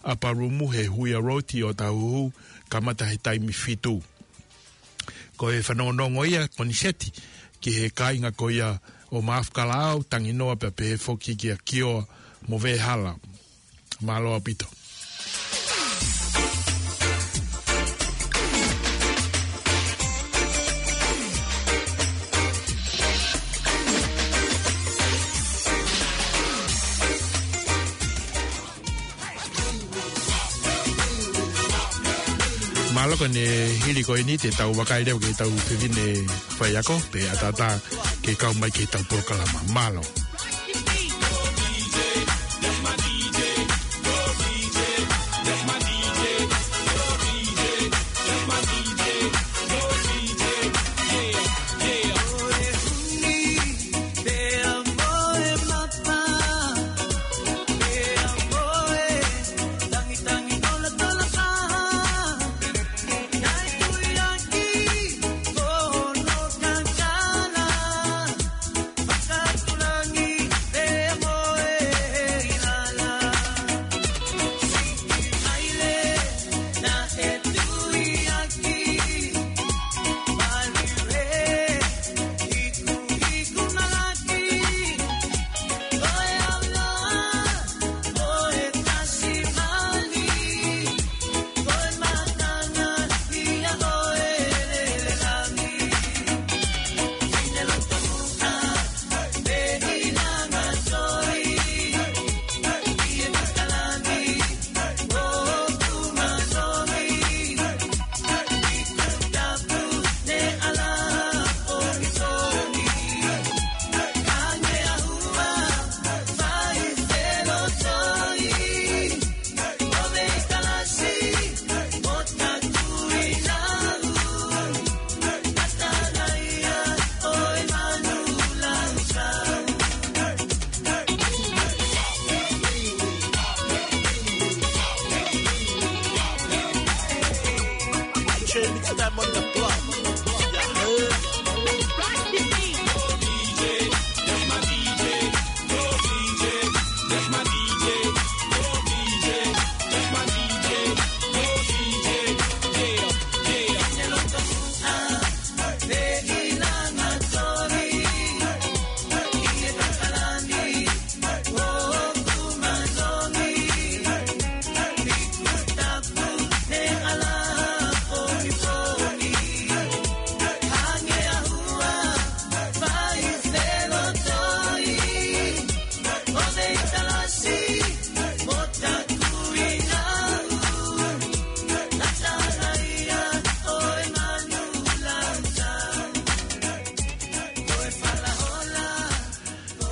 Upper Room he Huia Road ʻi ʻOtahuhu, kamata he taimi fitu. Ko e fanongonongo ia, koniseti, ki he kāinga ko ia ʻo Maʻufukalaau, Tanginoa, pea pehē foki kia Kioa mo Vehala. Mālō ʻaupito. Mālō, ko ʻene hili ko eni te tau vakai leva ki heʻetau fefine faiako, pea ʻatā ke kau mai ki heʻetau polokalama. Mālō. Step on the floor. Yeah.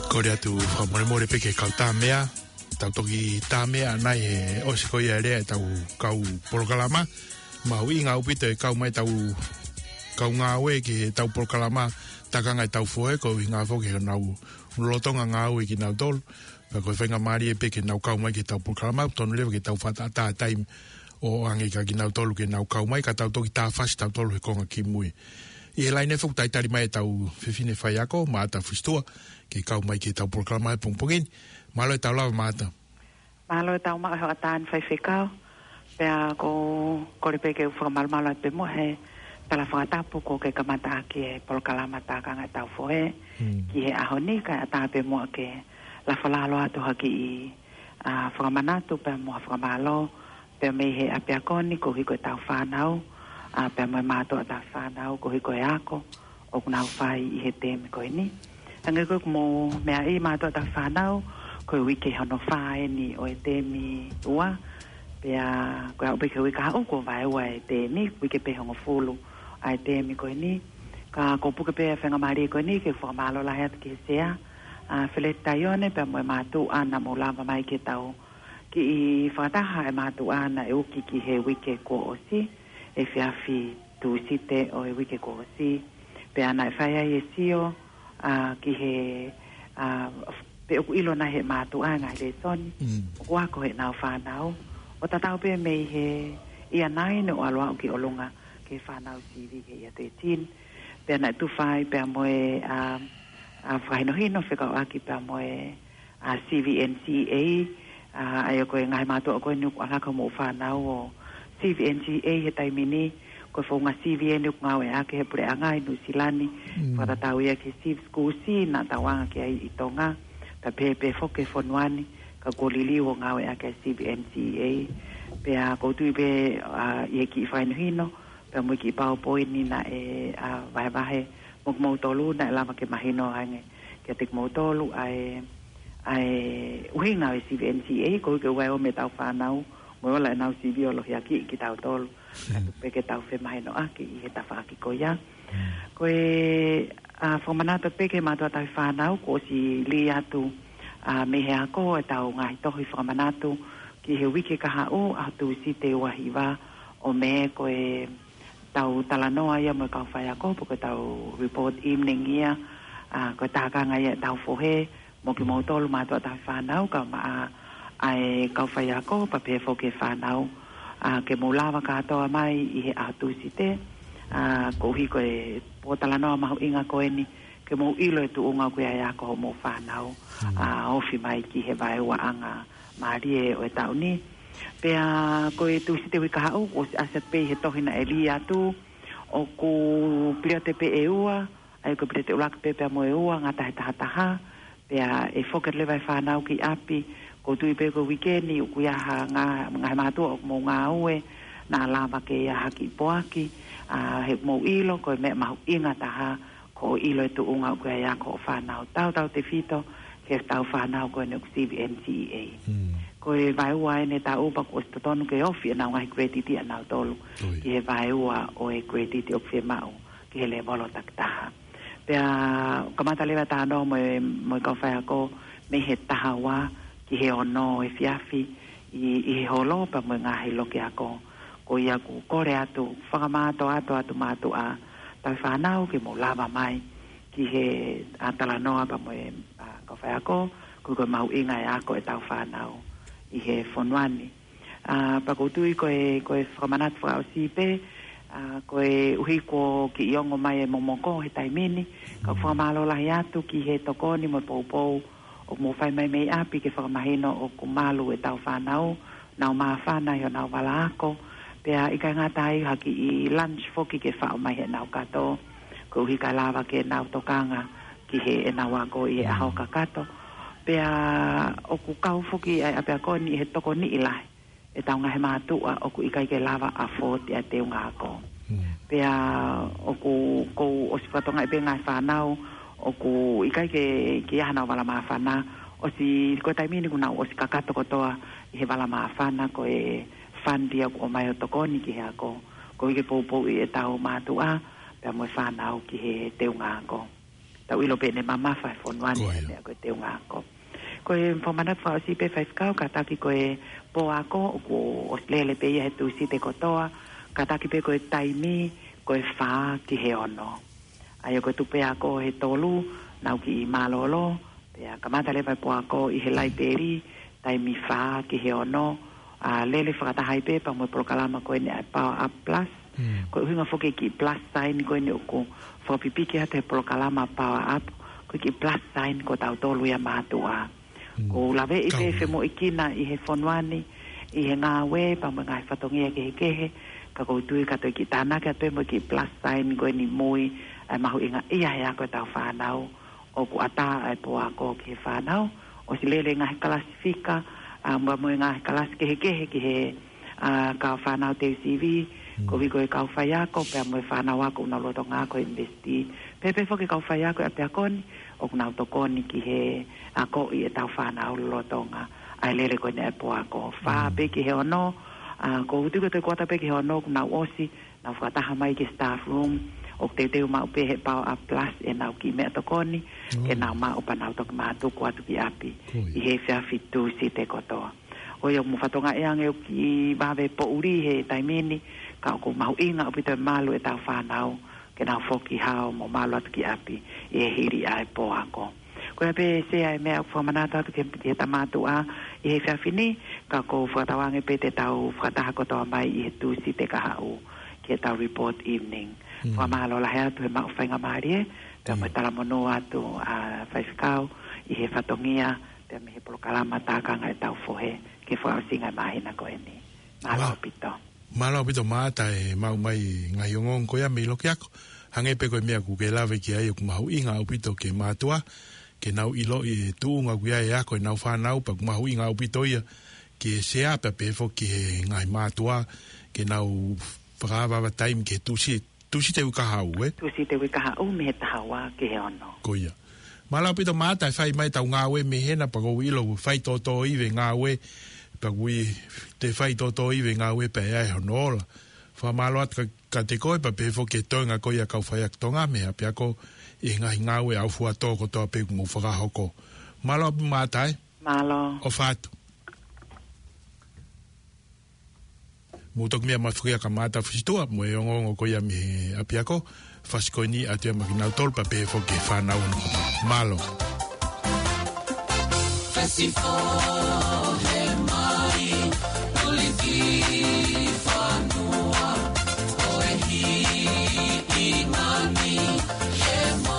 Kole atu fakamolemole pē ki he kau tāmeʻa, tau toki tāmeʻa nai he ʻosi ko ia e lea ʻetau kau polokalama. Mahuʻinga ʻaupito e kau mai ʻetau kau ngāue ki heʻetau polokalama Tākanga ʻo e Tau Fohe, ko e ʻuhinga foki he ʻoku nau lolotonga ngāue kinautolu. Pea ko e faingamālie pē ke nau kau mai ki heʻetau polokalama, tonu leva ke tau fakaʻatā e taimi ʻo ʻoange kia kinautolu ke nau kau mai, ka tau toki tāfasi tautolu he konga kimui. ʻI he laine foki ʻoku talitali mai ʻetau fefine faiako, Maata Fusitua, ke kau mai ki heʻetau polokalama he pongipongi ni. Mālō e tau lava, Maata. Mālō e tau maʻu e hoʻatā ni, Faifekau. Pea ʻoku ou kole pē ke u fakamalumalu atu pē muʻa he tala fakatapu kuo ke kamata ʻaki e polokalama Tākanga ʻo e Tau Fohe, hmm, ki he ʻaho ni, kae ʻatā pē muʻa ke lafo lalo atu ha kiʻi, ʻa, fakamanatu pea mo ha fakamālō pea mei he ʻapiako ni koeʻuhi ko ʻetau fānau, ʻa, pea mo e mātuʻa ʻo ʻetau fānau koeʻuhi ko e ako ʻoku nau fai ʻi he temi ko eni. Hangē ko ʻeku mou meaʻi, mātuʻa ʻo ʻetau fānau, ko e uike hono fā eni ʻo e temi ua. Pea ko e aʻu pē ki he uike kahaʻu kuo vaeua e temi, uike pē hongofulu ʻa e temi ko eni. Ka ʻoku ou puke pē e faingamālie ko eni ke fakamālō lahi atu ki he Sea, ʻa, Feleti Taione, pea mo e mātuʻa naʻa mou lava mai ke tau kiʻi fakataha e mātuʻa naʻe uki ki he uike kuo ʻosi, efiafi Tūsite ʻo e uike kuo ʻosi. Pea naʻe fai ai e sio, ʻa, ki he, ʻa, pe ʻoku ʻilo nai ʻe he mātuʻa e ngaahi lēsoni, mm, ʻoku ako heʻenau fānau. ʻO tatau pē mei he ʻia nai ne u ʻalu aʻu ki ʻolunga ki he fānau sivi ki he ʻia thirteen. Pea naʻe tufa ai pea mo e, ʻa, ʻa, fakahinohino fekauʻaki pea mo e, ʻa, C V N C A, ʻa, ʻa ia ko e ngaahi mātuʻa ko eni ʻoku ʻalu ʻaki hoʻomou fānau ʻo C V N C A he taimi ni, ko e founga C V N ʻoku ngāueʻaki he puleʻanga ʻi Nuʻusila ni, mm, fakatatau ia ki he Civ School C naʻa tau anga ki ai ʻi Tonga, pea pehē pē foki he fonua ni, ka kuo liliu ʻo ngāueʻaki e C V N C A. Pea ʻoku ou tui pē, ʻa, ʻi he kiʻi fakahinohino pea mo e kiʻi PowerPoint ni naʻe, ʻa, vahevahe mo kimoutolu, naʻe lava ke mahino ange kiate kimoutolu ʻa e, ʻa e ʻuhinga ʻo e C V N C A, koeʻuhi ke ʻoua ʻe ō mei heʻetau fānau mo e ola ʻenau sivi ʻo lohiakiʻi kitautolu. Mm. Ka tuku pē ke tau femahinoʻaki ʻi he tafaʻaki ko ia. Mm. Ko e, ʻa, fakamanatu pē ki he mātuʻa ʻo ʻetau fānau, kuo ʻosi lī atu, ʻa, mei he ako ʻetau ngaahi tohi fakamanatu ki he uike kahaʻu, ʻaho Tūsite ua hiva ʻo Mē, ko e tau talanoa ia mo e kau faiako, pe ko e tau report evening ia, ʻa, ko e tākanga ia ʻo e Tau Fohe, mo kimoutolu mātuʻa ʻo ʻetau fānau, kae ʻumaʻā ʻa e kau faiako, pea pehē foki ki he fānau, ʻa, ke mou lava kātoa mai ʻi he ʻaho Tūsite, ʻa, koeʻuhi ko e pōtalanoa mahuʻinga ko eni, ke mou ʻilo e tuʻunga ʻoku ʻi ai e ako hoʻomou fānau, mm, ʻa, ofi mai ki he vaeuaʻanga mālie ʻo e taʻu ni. Pea ko e Tūsite uike kahaʻu, kuo ʻosi ʻasi atu pē ʻi he tohi naʻe lī atu, ʻoku piliote pē ʻe ua, ʻa ia ko e piliote ʻuluaki pē pea mo e ua, ngata he taha taha, pea ʻe foki leva e fānau ki ʻapi. ʻOku ou tui pē ko e uike ni, ʻoku ʻi ai ha ngaahi, ngaahi mātuʻa ʻoku mou ngāue, naʻa lava ke ʻi ai ha kiʻi poaki, ʻa, he ʻoku mou ʻilo, ko e meʻa mahuʻinga taha, ko hoʻo ʻilo e tuʻunga ʻoku ʻi ai e ako hoʻo fānau, tautautefito ki heʻetau fānau ko eni ʻoku C V N C A. Mm. Ko e vaeua eni e taʻu pea kuo ʻosi totonu ke ofi ʻenau ngaahi credit ʻanautolu, ʻoi, ki he vaeua ʻo e credit ʻoku fiemaʻu ki he lēvolo takitaha. Pea kamata leva e talanoa mo e, mo e kau faiako mei he taha ua ki he ono efiafi ʻi, ʻi he holo pea mo e ngaahi loki ako. Ko ia ʻoku kole atu, fakamātoato atu mātuʻa ʻo ʻetau fānau ke mou lava mai ki he, ʻa, talanoa pea mo e, ʻa, kau faiako, koeʻuhi ko e mahuʻinga e ako ʻetau fānau ʻi he fonua ni. ʻA, pea ʻoku ou tui ko e, ko e fakamanatu fakaʻosi pē, ʻA, koeʻuhi kuo kiʻi ongo mai e momoko he taimi ni, ka ʻoku fakamālō lahi atu ki he tokoni mo e poupou ʻoku mou fai mai mei ʻapi ke fakamahino ʻoku malu ʻetau fānau, nau māfana ʻi honau vala ako, pea ʻikai ngata ai ha kiʻi lunch foki ke faʻo mai heʻenau kato, koeʻuhi kae lava ke nau tokanga ki heʻenau ako ʻi he ʻaho kakato. Pea ʻoku kau foki ʻa e ʻapiako ni ʻi he tokoniʻi lahi ʻetau ngaahi mātuʻa ʻoku ʻikai ke lava ʻo afford ʻa e teunga ako. Pea ʻoku, ʻoku ʻosi fakatokangaʻi pē ngaahi fānau ʻoku ʻikai ke, ke ʻi ai hanau vala māfana, ʻosi ko e taimi ni kuo nau ʻosi kakato kotoa ʻi he vala māfana, ko e fund ia ʻoku ʻomai ʻo tokoni ki he ako, koeʻuhi ke poupouʻi ʻetau mātuʻa pea mo e fānau ki he teunga ako. Tau ʻilo pē ʻene mamafa he fonua ni ʻa e meʻa ko e teunga ako. Ko e fakamanatu fakaʻosi pē Faifekau, kātaki ko e pō ako ʻoku ʻosi lele pē ia he Tūsite kotoa, kātaki pē ko e taimi ko e fā ki he ono. ʻA ia ko e tupe ako he tolu, nau kiʻi mālōlō, pea kamata leva e pō ako ʻi he laipeli, taimi fā ki he ono, ʻa, lele fakataha ai pē pea mo e polokalama ko eni ʻa e Power Up Plus. Ko e ʻuhinga foki e kiʻi plus sign ko eni ʻoku fakapipiki atu he polokalama Power Up, ko e kiʻi plus sign ko tautolu ia mātuʻa. ʻOku ou laveʻi pē femoʻuekina ʻi he fonua ni, ʻi he ngāue pea mo e ngaahi fatongia kehekehe, ka ʻoku ou tui ka toe kiʻi tānaki atu pē mo e kiʻi plus sign ko eni mui, ʻa e mahuʻinga ia he ako ʻetau fānau, ʻoku ʻatā ʻa e pō ako ki he fānau, ʻosi lele ngaahi kalasi fika, ʻa, mo, mo e ngaahi kalasi kehekehe ki he, ʻa, kau fānau teu sivi, koeʻuhi ko e kau faiako, pea mo e fānau ako ʻoku nau lolotonga ako ʻunivēsiti. Pea pehē foki kau faiako ʻi he ʻapiako ni, ʻoku nau tokoni ki he akoʻi ʻetau fānau lolotonga ʻa e lele ko eni ʻa e pō ako. Fā pē ki he ono, ʻa, ʻoku ou tui ko e toe kuata pē ki he ono, ʻoku nau ʻosi, nau fakataha mai ki he staff room, ʻoku teuteu maʻu pē he Power Up Plus ʻenau kiʻi meʻatokoni, ke nau maʻu pea nau toki mātuku atu ki ʻapi ʻi he efiafi Tūsite kotoa. Ko ia ʻoku mou fakatokangaʻi ange ʻoku kiʻi vave poʻuli he taimi ni, ka ʻoku mahuʻinga ʻaupito e malu ʻetau fānau, ke nau foki hao mo malu atu ki ʻapi ʻi he hili ʻa e pō ako. Ko ia pē Sea e meʻa ʻoku fakamanatu atu ki he, ki he tama mātuʻa ʻi he efiafi ni, ka ʻoku ou fakatauange pē te tau fakataha kotoa mai ʻi he Tūsite kahaʻu ki heʻetau report evening. Fakamālō lahi atu he maʻu faingamālie, pea mo e talamonū atu ʻa Faifekau ʻi he fatongia, pea mei he polokalama Tākanga ʻEtau Fohe, ki he fakaʻosinga e māhina ko eni. Mālō ʻaupito. Mālō ʻaupito Maata e maʻu mai ngaahi ongoongo ko ia mei loki ako. Hangē pē ko e meʻa ʻoku ke lave ki ai ʻoku mahuʻinga ʻaupito ki he mātuʻa, ke nau ʻiloʻi e tuʻunga ʻoku ʻi ai e ako ʻenau fānau pea ʻoku mahuʻinga ʻaupito ia ki he Sea pea pehē foki ki he ngaahi mātuʻa, ke nau fakaavaava taimi ki he Tūsi-, Tūsite uike kahaʻu, ē? Tūsite uike kahaʻu mei he taha ua ki he ono. Ko ia. Mālō ʻaupito Maata e fai mai ʻetau ngāue mei hena pea ʻoku ou ʻilo ʻoku fai tōtōivi e ngāue, pea ʻoku ʻi ai e fai tōtōivi e ngāue pea ʻi ai hono ola. Fakamālō atu ka, kiate koe pea pehē foki ki he toenga ko ia kau faiako Tonga mei he ʻapiako ʻi he ngaahi ngāue ʻaufuatō kotoa pē ʻoku mou fakahoko. Mālō ʻaupito Maata ē. Mālō. ʻOfa atu. Mou toki meʻa mai foki ʻa Maata Fusitua mo e ongoongo ko ia mei he ʻapiako, fasi ko eni ʻoatu ia maʻa kinautolu pea pehē foki ki he fānau hono kotoa. Mālō. Festival he mai, tuliki fanua, ko e hi i ngani, he mo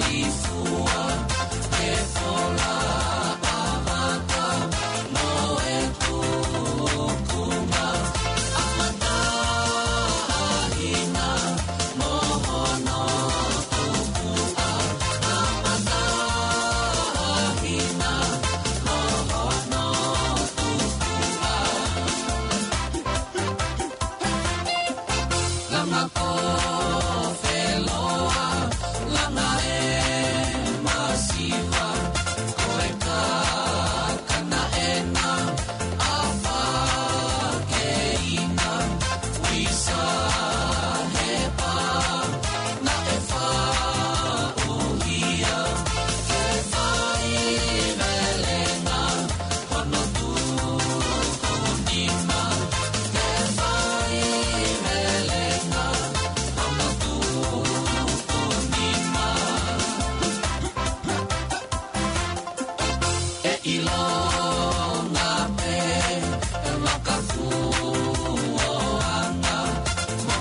i fua, he fola avata, mo e tukunga, amata ahina, mo hono tukuʻa, amata ahina, mo hono tukuʻa. Langa ko feloa, langa e masiva, ko e kakana ena, afa keina, uisa he pā, naʻe faʻuhia, ke fai velenga, hono tuku nima, ke fai velenga, hono tuku nima. ʻE ʻilonga pē, e makafuoanga, mo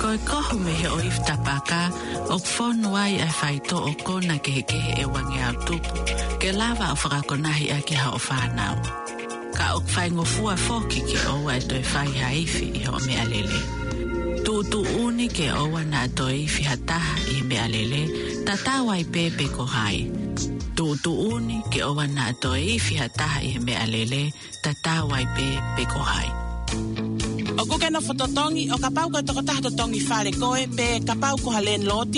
Ko e kohu mei he ʻoifi tapaka, ʻoku fonu ai ʻa e faitoʻo kona kehekehe ʻe uangeau tupu, ke lava ʻo fakakonahi ʻaki ʻa hoʻo fānau. Ka ʻoku faingofua foki ke ʻoua ʻe toe fai ha ifi ʻi hoʻo meʻalele. Tuʻutuʻuni ke ʻoua naʻa toe ifi ha taha ʻi he meʻalele, tatau ai pē pe ko hai. Tuʻutuʻuni ke ʻoua naʻa toe ifi ha taha ʻi he meʻalele, tatau ai pē pe ko hai. ʻOku ke nofo totongi, ʻo kapau ko e tokotaha totongi fale koe, pe kapau ko ha landlord,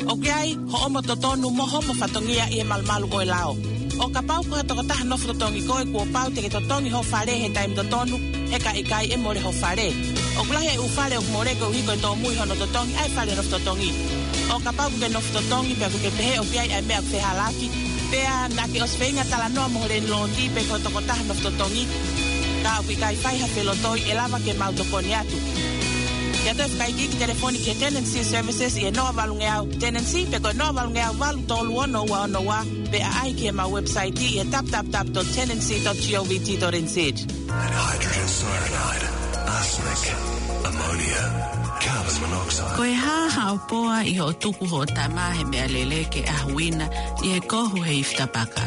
ʻoku ʻi ai hoʻomo totonu mo hoʻomo fatongia ʻi he malumalu ʻo e lao. ʻO kapau ko ha tokotaha nofo totongi koe, kuo pau te ke totongi ho fale he taimi totonu, he ka ʻikai ʻe mole ho fale. ʻOku lahi e ʻū fale ʻoku mole koeʻuhi ko e tōmui hono totongi ʻa e fale nofo totongi. ʻO kapau ʻoku ke nofo totongi, pea ʻoku ke pehē ʻoku ʻi ai ʻa e meʻa ʻoku fehālaaki, pea naʻa ke ʻosi feinga talanoa mo ho landlord pe ko e tokotaha nofo totongi, ka ʻoku ʻikai fai ha felotoi, ʻe lava ke mau tokoni atu. Ke ʻoatu e fakaikiiki telefoni ki he Tenancy Services ʻi he noa valungeau tenancy, pe ko e noa valungeau valu tolu ono ua ono ua, pe ʻaʻahi ki heʻemau website ʻi he w w w dot tenancy dot govt dot n z. Hydrogen cyanide, arsenic, ammonia, carbon monoxide. Ko e hā haʻo poa ʻi hoʻo tuku hoʻo tama he meʻalele ke ʻahuina ʻi he kohu he ifi tapaka?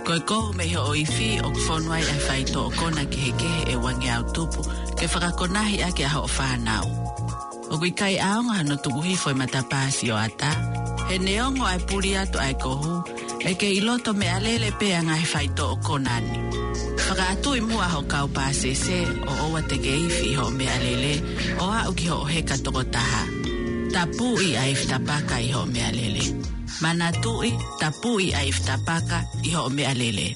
Ko e kohu mei hoʻo ifi ʻoku fonu ai ʻa e faitoʻo kona kehekehe ʻe uangeau tupu ke fakakonahi ʻaki ʻa hoʻo fānau. ʻOku ʻikai ʻaonga hano tuku hifo e matapā sioʻata. He neongo ʻa e puli atu ʻa e kohu, ʻe kei ʻi loto meʻalele pē ʻa e ngaahi faitoʻo kona ni. Fakaʻatuʻi muʻa hoʻo kau pāsese ʻo ʻoua te ke ifi ʻi hoʻo meʻalele ʻo aʻu ki hoʻo heka toko taha. Tapuʻi ʻa e ifi tapaka ʻi hoʻo meʻalele. Manatuʻi, tapuʻi ʻa e ifi tapaka ʻi hoʻo meʻalele.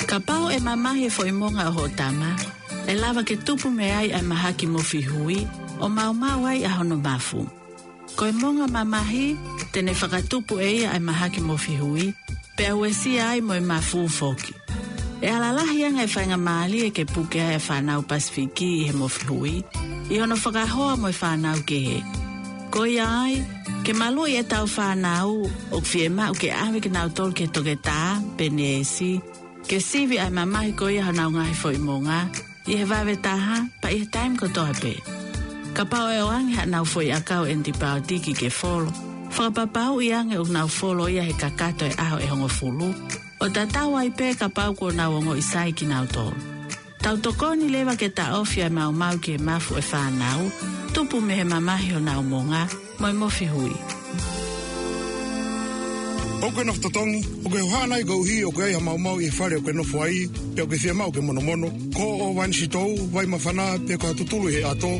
Kapau ʻe mamahi e foʻi monga ʻo hoʻo tama, ʻe lava ke tupu mei ai ʻa e mahaki mofi hui, ʻo maumau ai ʻa hono mafu. Ko e monga mamahi, te ne fakatupu ʻe ia ʻa e mahaki mofi hui, pea uesia ai mo e mafu foki. ʻE ala lahi ange e faingamālie ke puke ai ʻa e fānau Pasifiki ʻi he mofi hui, ʻi hono fakahoa mo e fānau kehe. Ko ia ai, ke maluʻi ʻetau fānau, ʻoku fiemaʻu ke ʻave kinautolu ki he toketā pe neesi, ke sivi ʻa e mamahi ko ia honau ngaahi foʻi monga, ʻi he vave taha, pea ʻi he taimi kotoa pē. Kapau ʻe ʻoange haʻanau foʻi ʻakau ʻenitipaotiki ke folo, fakapapauʻi ange ʻoku nau folo ia he kakato e ʻaho ʻe hongofulu, ʻo tatau ai pē kapau kuo nau ongoʻi sai kinautolu. Tau tokoni leva ke taʻofi ʻa e maumau ki he mafu ʻo e fānau, tupu mei he mamahi honau monga, mo e mofi hui. ʻOku ke nofo totongi, ʻoku ke hohaʻa nai koeʻuhi ʻoku ʻi ai ha maumau ʻi he fale ʻoku ke nofo ai, pe ʻoku ke fiemaʻu ke monomono, ko hoʻo vai sitou, vai māfana, pe ko ha tutulu ʻi he ʻato,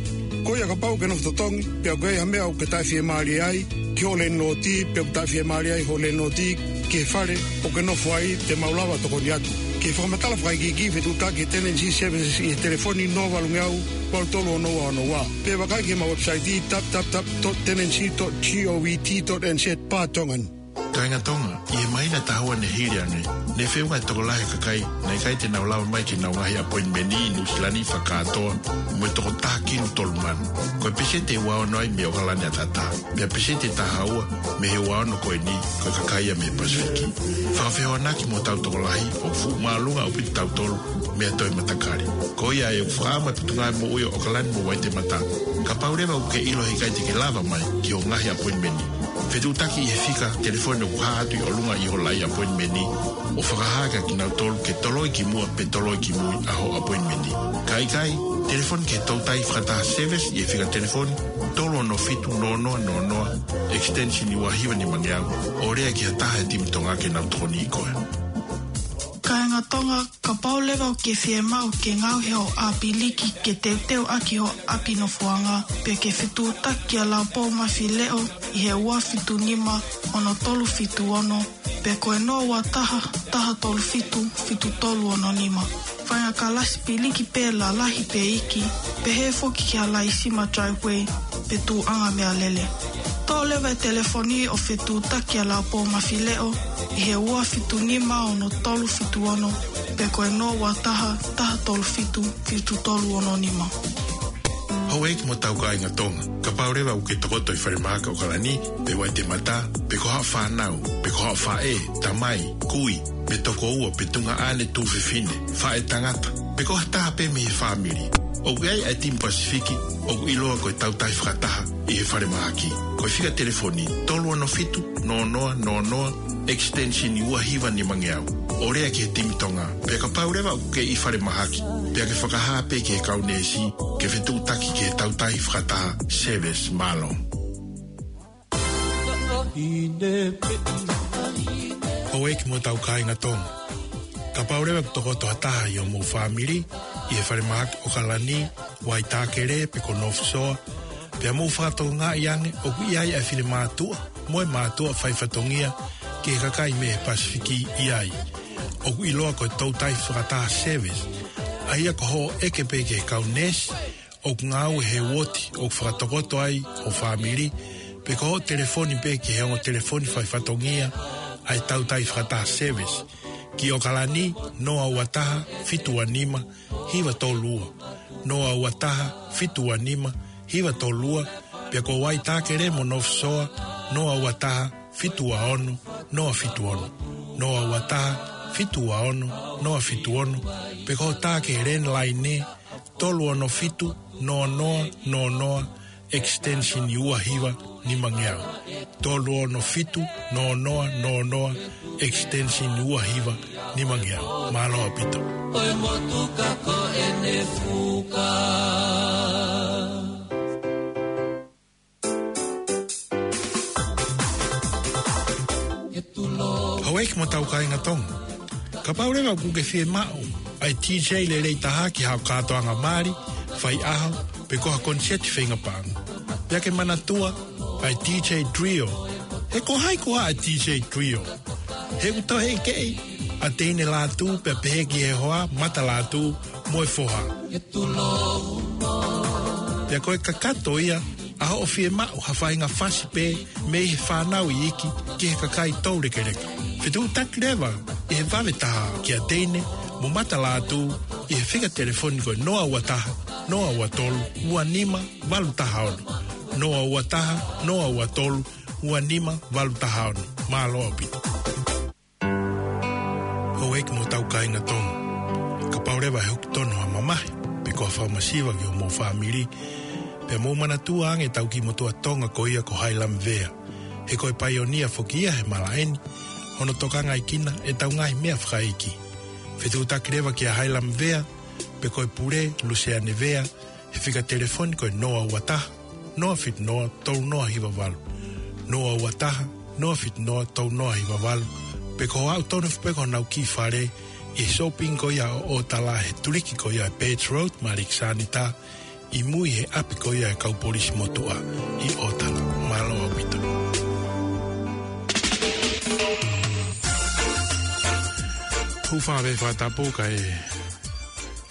Ko ia kapau ʻoku ke nofo totongi, pea ʻoku ʻi ai ha meʻa ʻoku ke taʻefiemālie ai ki hoʻo lēniloti, pe ʻoku taʻefiemālie ai hoʻo lēniloti ki he fale ʻoku ke nofo ai, te mau lava ʻo tokoni atu. Ke fakamatala fakaikiiki, fetuʻutaki he Tenancy Services ʻi he telefoni noa valu ngeau, valu tolu ono ua ono ua. Pe vakai ki heʻemau website, w w w dot tenancy dot govt dot n z barra Tongan. Kāinga Tonga, ʻi he māhina ʻe taha ua ne hili ange, ne feʻunga e tokolahi e kakai naʻe ʻikai te nau lava mai ki heʻenau ngaahi appointment ʻi Nuʻusila ni fakakātoa mo e toko taha kilu tolu mano. Ko e peseti ʻe ua ono ai mei ʻOkalani ʻataʻatā. Pea peseti ʻe taha ua mei he ua ono ko eni, ko e kakai ia mei he Pasifiki. Fakafehoanaki mo hotau tokolahi, ʻoku fuʻu māʻolunga ʻaupito kitautolu mei ha toe matakali. Ko ia ʻoku fakaʻamu e Potungāue Moʻui ʻo ʻOkalani mo Waitemata, kapau leva ʻoku ke ʻilo he ʻikai te ke lava mai ki hoʻo ngaahi appointment, fetuʻutaki ʻi he fika telefoni ʻoku hā atu ʻi ʻolunga ʻi hoʻo laʻi appointment, ʻo fakahā kia kinautolu ke toloi ki muʻa pe toloi ki mui ʻa hoʻo appointment. Ka ʻikai, telefoni ki he Toutai Fakataha Service ʻi he fika telefoni tolu ono fitu noa noa noa noa, extension ua hiva nima ngeau, ʻo lea ki ha taha he timi Tonga ke nau tokoniʻi koe. Kāinga Tonga, kapau leva ʻoku ke fiemaʻu ke ngaohi hoʻo ʻāpiliki ke teuteu ʻaki hoʻo ʻapi nofoʻanga, pe ke fetuʻutaki kia Laupō Mafileʻo ʻi he ua fitu nima ono tolu fitu ono, pe ko e noa ua taha, taha tolu fitu, fitu tolu ono nima. Faʻahinga kalasi piliki pē lalahi pe iiki, pehē foki ki ha laisima driveway pe tuʻuʻanga meʻalele. Toʻo leva e telefoni ʻo fetuʻutaki kia Laupō Mafileʻo ʻi he ua fitu nima ono tolu fitu ono, pe ko e noa ua taha, taha tolu fitu, fitu tolu ono nima. Houʻeiki mo hotau kāinga Tonga, kapau leva ʻoku ke tokoto ʻi Falemahaki ʻOkalani, pe Waitemata, pe ko haʻo fānau, pe ko haʻo faʻē, tamai, kui, pe tokoua, pe tuongaʻane, tuofefine, faʻētangata, pe ko ha taha pē mei he fāmili, ʻoku ʻi ai e timi Pasifiki ʻoku ʻiloa ko e Toutai Fakataha ʻi he Falemahaki. Ko e fika telefoni tolu ono fitu noa noa noa noa, extension ua hiva nima ngeau, ʻo lea ki he timi Tonga. Pea kapau leva ʻoku ke ʻi Falemahaki, pea ke fakahā pē ki he kau neesi ke fetuʻutaki ki he Toutai Fakataha Service. Mālō. Houʻeiki mo hotau kāinga Tonga, kapau leva ʻoku tokoto ha taha ʻi hoʻomou fāmili ʻi he Falemahaki ʻOkalani, Waitākele pe ko North Shore, pea mou fakatokangaʻi ange ʻoku ʻi ai e finemātuʻa mo e mātuʻa faifatongia ki he kakai mei he Pasifiki ʻi ai, ʻoku ʻiloa ko e Toutai Fakataha Service, ʻa ia ko hoʻo ʻeke pē ki he kau neesi ʻoku ngāue he uooti ʻoku fakatokoto ai ho fāmili, pe ko hoʻo telefoni pē ki he ongo telefoni faifatongia ʻa e Toutai Fakataha Service, ki ʻOkalani, noa ua taha, fitu ua nima, hiva tolu ua, noa ua taha, fitu ua nima, hiva tolu ua, pea ko Waitākele mo North Shore, noa ua taha, fitu ua ono, noa fitu ono, noa ua taha, fitu ua ono, noa fitu ono, pe ko hoʻo tā ki he landline, tolu ono fitu noa noa noa noa, extension ua hiva nima ngeau. Tolu ono fitu noa noa noa noa, extension ua hiva nima ngeau. Mālō ʻaupito. Ko e motuka ko ʻene fuka. Houʻeiki mo hotau kāinga Tonga, kapau leva ʻoku ke fiemaʻu ʻa e DJ lelei taha ki haʻo kātoanga mali, faiʻaho, pe ko ha koniseti feinga paʻanga, pea ke manatua ʻa e DJ Trio. He ko hai koā ʻa e DJ Trio? He ʻoku tauhi ʻe he keʻi ʻa Teine Lātū, pea pehē ki he hoa, Mata Lātū mo e foha. Pea ko e kakato ia ʻa hoʻo fiemaʻu ha faʻahinga fasi pē mei he fānau iiki ki he kakai toulekeleka. Fetuʻutaki leva ʻi he vave taha kia Teine mo Mata Lātū ʻi he fika telefoni ko e noa ua taha, noa ua tolu, ua nima, valu taha ono. Noa ua taha, noa ua tolu, ua nima, valu taha ono. Mālō ʻaupito. Houʻeiki mo hotau kāinga Tonga, kapau leva ʻe hoko tonu ha mamahi pe ko ha fakamasiva ki homou fāmili, pea mou manatua ange ʻetau kiʻi motuʻa Tonga ko ia ko Hailami Vea. He ko e paionia foki ia he malaʻe ni, hono tokangaʻi kinautolu ʻe heʻetau ngaahi meʻa fakaʻeiki. Fetuʻutaki leva kia Hailami Vea, pe ko e pule, Luseane Vea, he fika telefoni ko e noa ua taha, noa fitu noa, tolu noa hiva valu. Noa ua taha, noa fitu noa, tolu noa hiva valu. Pe ko hoʻo aʻu tonu foki pē ki honau kiʻi fale ʻi he shopping ko ia ʻo ʻOtala he tuliki ko ia ʻa e Birch Road mo Alexander, ʻi mui he ʻapi ko ia e kau polisi motuʻa ʻi ʻOtala. Mālō ʻaupito. Hūfanga pē he fakatapu kae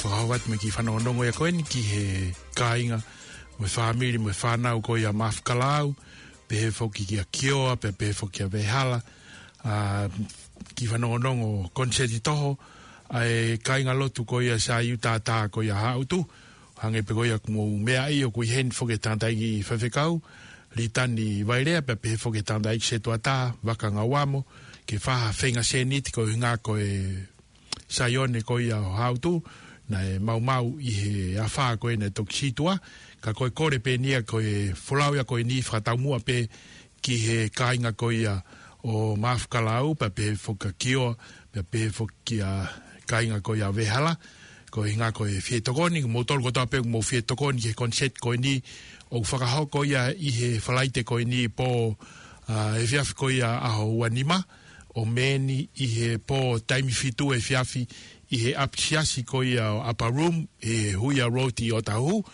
fakahoko atu mo e kiʻi fanongonongo ia ko eni ki he kāinga mo e fāmili mo e fānau ko ia Mafukalaau, pehē foki kia Kioa, pea pehē foki kia Vehala, ʻa e kiʻi fanongonongo koniseti toho ʻa e kāingalotu ko ia Saiu Tātā ko ia Haʻutu, hangē pē ko ia kuo mou meaʻi ʻoku ʻi heni foki e tangataʻeiki faifekau, Litani Vailea, pea pehē foki e tangataʻeiki setuata, Vaka Ngauamo, ke fai ha feinga sēniti koeʻuhinga ko e Saione ko ia ʻo Haʻutu, naʻe maumau ʻi he afā ko ē naʻe toki sītuʻa, ka ko e kole pē eni ia ko e folau ia ko eni fakataumuʻa pē ki he kāinga ko ia ʻo Mafukalaau, pea pehē foki kia Kioa, pea pehē foki kia kāinga ko ia Vehala, koeʻuhinga ko e fie tokoni, moutolu kotoa pē ʻoku mou fie tokoni ki he koniseti ko eni, ʻoku fakahoko ia ʻi he Falaite ko eni pō, ʻa, efiafi ko ia ʻaho ua nima, ʻo meni ʻi he pō taimi fitu efiafi ʻi he ʻapisiasi ko ia ʻo Upper Room, ʻi he Huia Road ʻi ʻOtahuhu,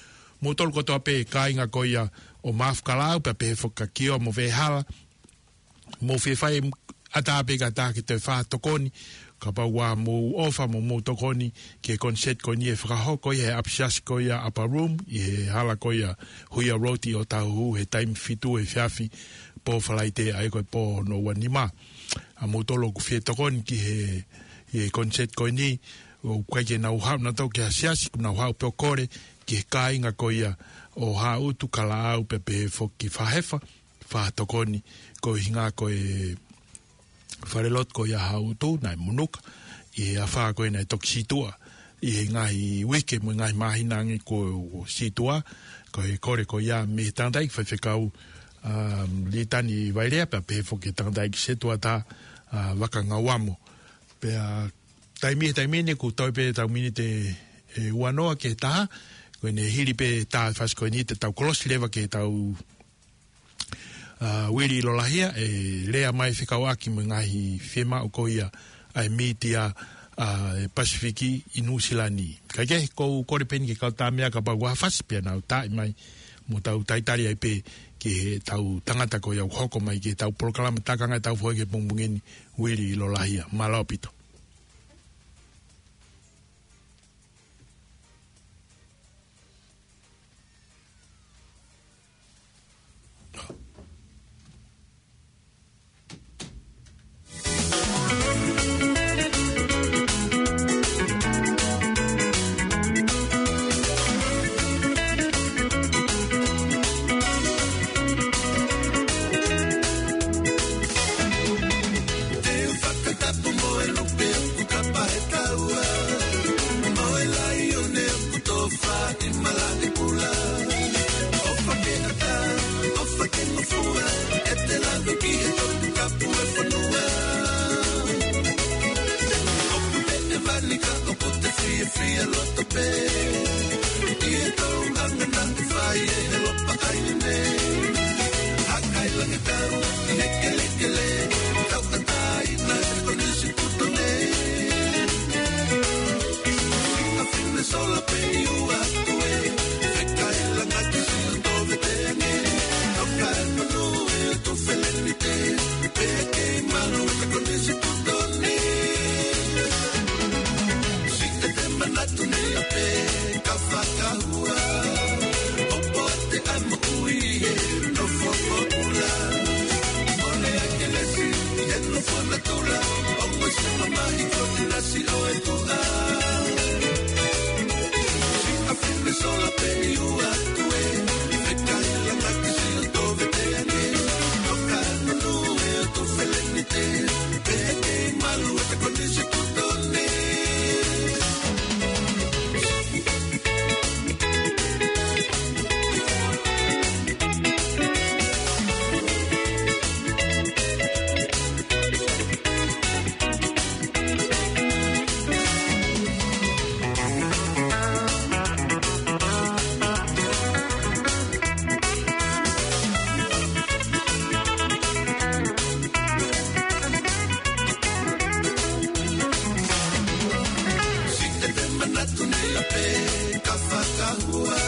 moutolu kotoa pē kāinga ko ia ʻo Mafukalaau, pea pehē foki kia Kioa mo Vehala, mou fie fai ʻatā pē kae ʻatā ke toe fai ha tokoni, kapau ʻoku mou ʻofa mo mou tokoni ki he koniseti ko eni ʻe fakahoko ʻi he ʻapisiasi ko ia Upper Room, ʻi he hala ko ia Huia Road ʻi ʻOtahuhu he taimi fitu efiafi pō Falaite ʻa ia ko e pō hono ua nima. ʻA moutolu ʻoku fie tokoni ki he, he koniseti ko eni, ʻoku ʻikai ke nau haʻu nautolu ki ha siasi, kuo nau haʻu pē ʻo kole ki he kāinga ko ia ʻo Haʻutu, Kalaau, pea pehē foki Fahefa, fai ha tokoni koeʻuhinga ko e falelotu ko ia Haʻutu naʻe munuka ʻi he afā ko ē naʻe toki sītuʻa ʻi he ngaahi uike mo e ngaahi māhina ange kuo sītuʻa. Ko e kole ko ia mei he tangataʻeiki faifekau, um, Litani Vailea, pea pehē foki e tangataʻeiki setuata, ʻa, Vaka Ngauamo. Pea taimi, taimi ni kuo toe pē ʻetau miniti ʻe ua noa ki he taha, ko ʻene hili pē taʻu ʻe fasi ko eni te tau kolosi leva ki heʻetau, ʻa, Uili Lolahia, ʻe lea mai fekauʻaki mo e ngaahi fiemaʻu ko ia ʻa e mītia, ʻa, ʻa e Pasifiki ʻi Nuʻusila ni. Kae kehe, ʻoku ou kole pē eni ki he kau tāmeʻa kapau ʻoku ʻi ai ha fasi pea nau taaʻi mai, mo tau talitali ai pē ki heʻetau tangata ko ia ʻoku hoko mai ki heʻetau polokalama takanga ʻetau foʻi ki he pongipongi ni, Uili Lolahia. Mālō ʻaupito. Te u fakatapu mo e lupe ʻoku kapa he taua, mo e laione ʻoku tofa ʻi malaʻe kula. ʻOfa ke ʻatā, ʻofa ke ngofua, ʻete lave ki he Toputapu ʻo e fonua. ʻOku te ʻevani ka ʻoku te fiefia loto pē ʻi he tau anga naʻe fai ʻe he Lopa ʻAi nei. Hakailangitau ʻi he kelekele, tauʻatāina he konisitūtone. Siʻa fine sola pē ʻi ua atu ē, fekailanga ki Siʻoto Veteange. Toka e manu e tu felenite, pea kei malu e konisitūtone. Siʻete manatu ni ʻa pē ka fakahua, ʻo poate ʻa e moʻui he nofo pōpula. Mole ʻa Kelesi he nofo natula, ʻo mo se mamahi ko te nasi ʻo e tuʻa. Siʻa fine sola pē ʻi ua atu ē, fekailanga ki Siʻoto Veteange. Toka e manu e tu felenite, pea kei malu e konisitūtone. Siʻete manatu ni ʻa pē ka fakahua,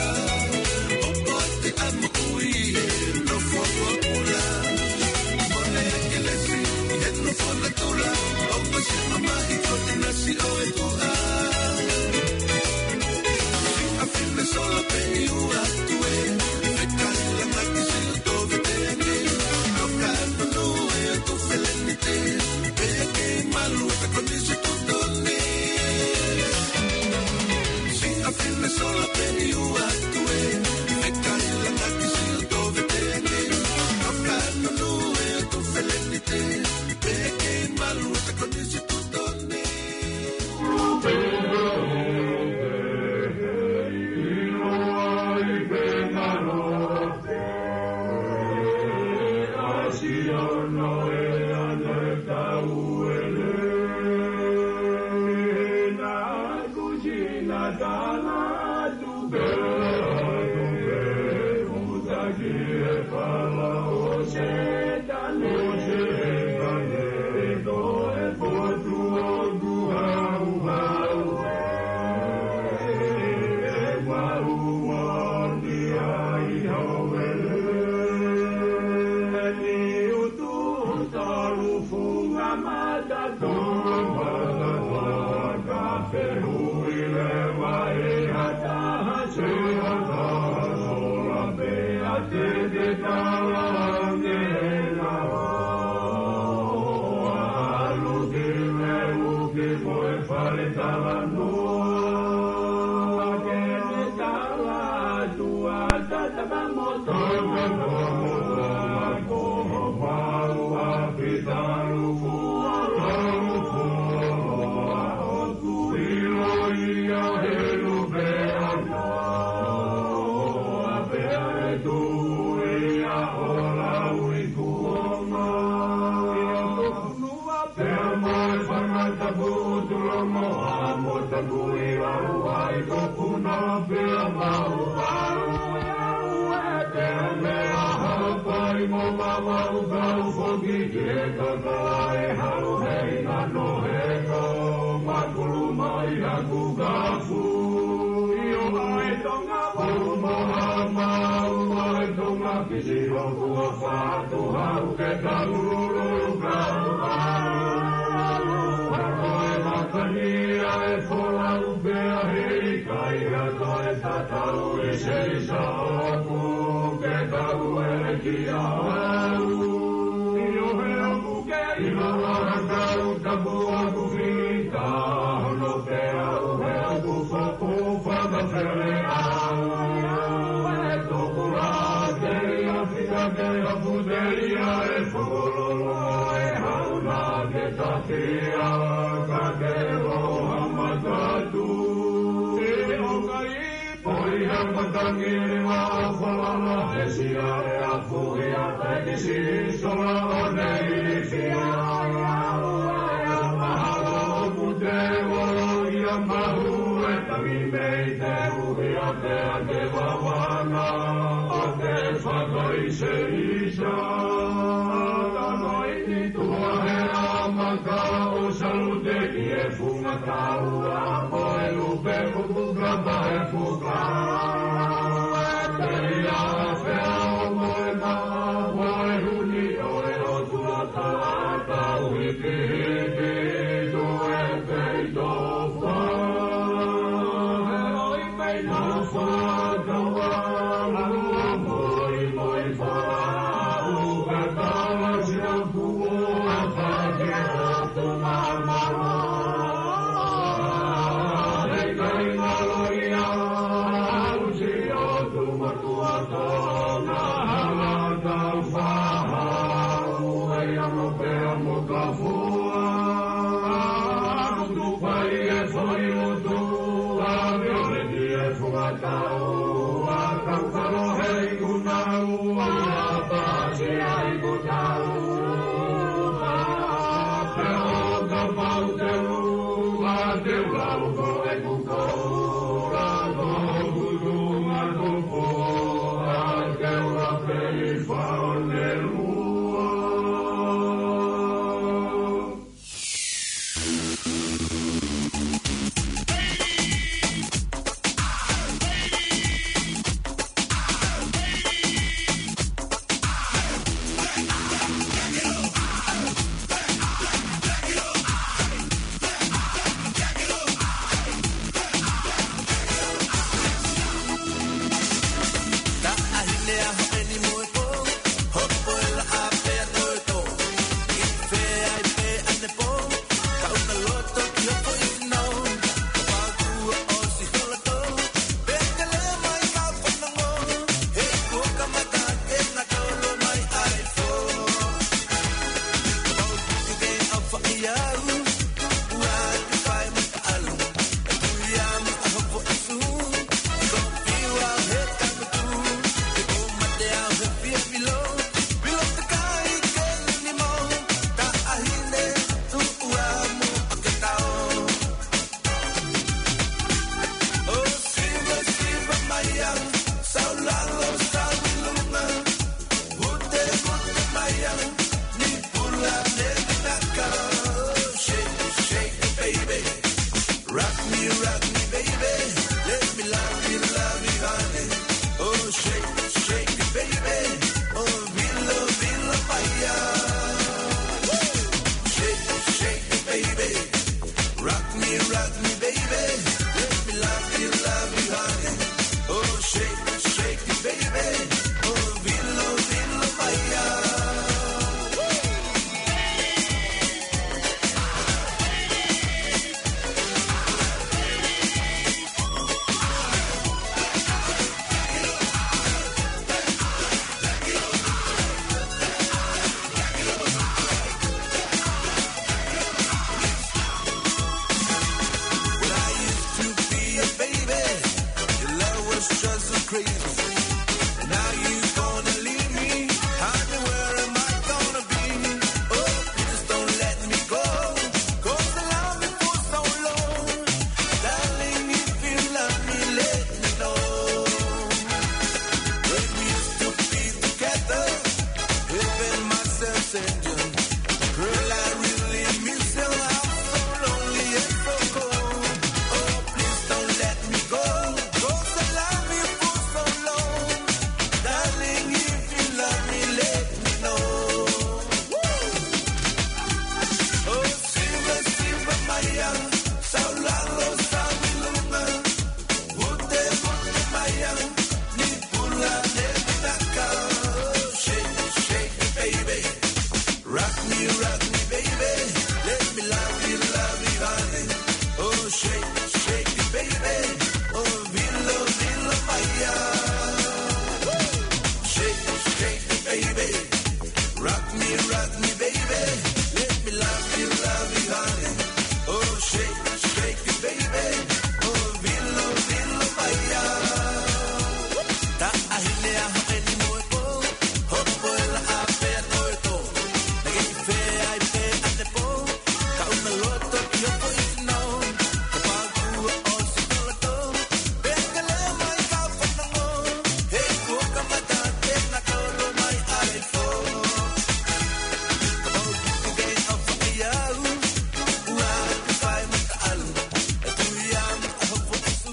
You rock me, baby. Let me love you, love you, honey. Oh, shake, shake it, baby. Oh, vilo, vilo, fire. Shake, shake it, baby. Rock me, rock me, baby. Let me love you, love you, honey. Oh, shake, shake it, baby. Oh, vilo, vilo, fire. When I used to be a baby, your love was just so crazy. Now you gonna leave me, honey, where am I gonna be? Oh, please don't let me go, 'cause I love you for so long. Darling, if you love me, let me know. When we used to be together, heaven must have sent you. Girl, I really miss you. I'm so lonely and so cold. Oh, please don't let me go, 'cause I love you for so long. Darling, if you love me, let me know. Oh, Simba, Simba Maya, Saulalo, Sauliluma, Vute, Vute Maya, Nipula, Nepitaka. Shake, shake it, baby. Rock me, rock me, baby. Let me love you, love you, honey. Oh, shake, shake it, baby. Oh, vilo, vilo, fire. Shake, shake it, baby. Rock me, rock me, baby. Let me love you, love you, honey. Oh, shake, shake it, baby. Oh, vilo, vilo, fire. Taʻahine ʻa hoʻo ʻeni mo e pō, hopo ela ʻa pea no e tō. Naʻe ʻi fē ai pē ʻanepō, ka ʻuna loto ki hoʻo foʻi sino. Ka pau kuo ʻosi koloto, pea kele mai ka fanongo. He kuo kamata ke na kolo mai ai fō. Ka pau kuo ke ʻofa ʻi au, ua ke fai mata alu. E tui au ʻa hoʻo foʻi sū.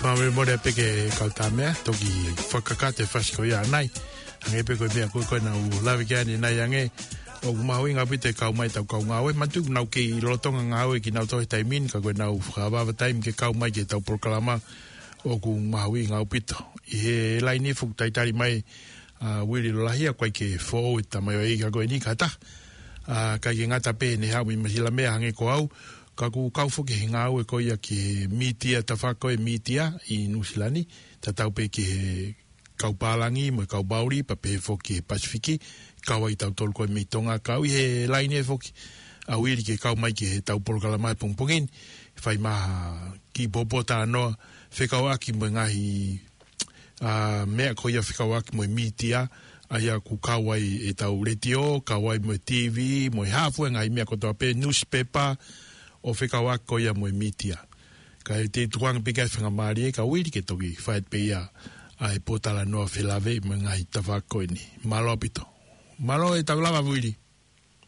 Mālō e mole pē ke kau tā meʻa, toki fakakakato e fasi ko ia ʻanai. Hangē pē ko e meʻa ko ē ko ē naʻa ku lave ki ai ʻanenai ange. ʻOku mahuʻinga ʻaupito e kau mai ʻetau kau ngāue. Manatuʻi ʻoku nau kei lolotonga ngāue kinautolu he taimi ni, ka ko ʻenau fakaava taimi ke kau mai ki heʻetau polokalama. ʻOku mahuʻinga ʻaupito. ʻI he laine foki talitali mai, ʻa Uili Lolahia, ʻoku ʻikai ke foʻou e tamaioʻeiki ko eni ka taha. ʻA, ʻikai ke ngata pē ʻene haʻu mei Nuʻu Sila meʻa hangē ko au. Ka ʻoku kau foki he ngāue ko ia ki he mītia, tafaʻaki ko ē mītia ʻi Nuʻu Sila ni, tatau pē ki he kau pālangi mo e kau Maori, pea pehē foki ki he Pasifiki, kau ai tautolu ko ē mei Tonga, kau ʻi he laine foki ʻa Uili ke kau mai ki heʻetau polokalama he pongipongi ni, fai mai ha kiʻi pōtalanoa, fekauʻaki mo e ngaahi, ʻa, meʻa ko ia fekauʻaki mo e mītia, ʻa ia ʻoku kau ai ʻetau letiō, kau ai mo e T V, mo e hā fua e ngaahi meʻa kotoa pē, newspaper, ʻo fekauʻaki ko ia mo e mītia. Ka ʻi he tukuange pē ke faingamālie ka Uili ke toki fai pē ia ʻa e pōtalanoa felāveʻi mo e ngaahi tafaʻaki ko eni. Mālō ʻaupito. Mālō e tau lava Uili.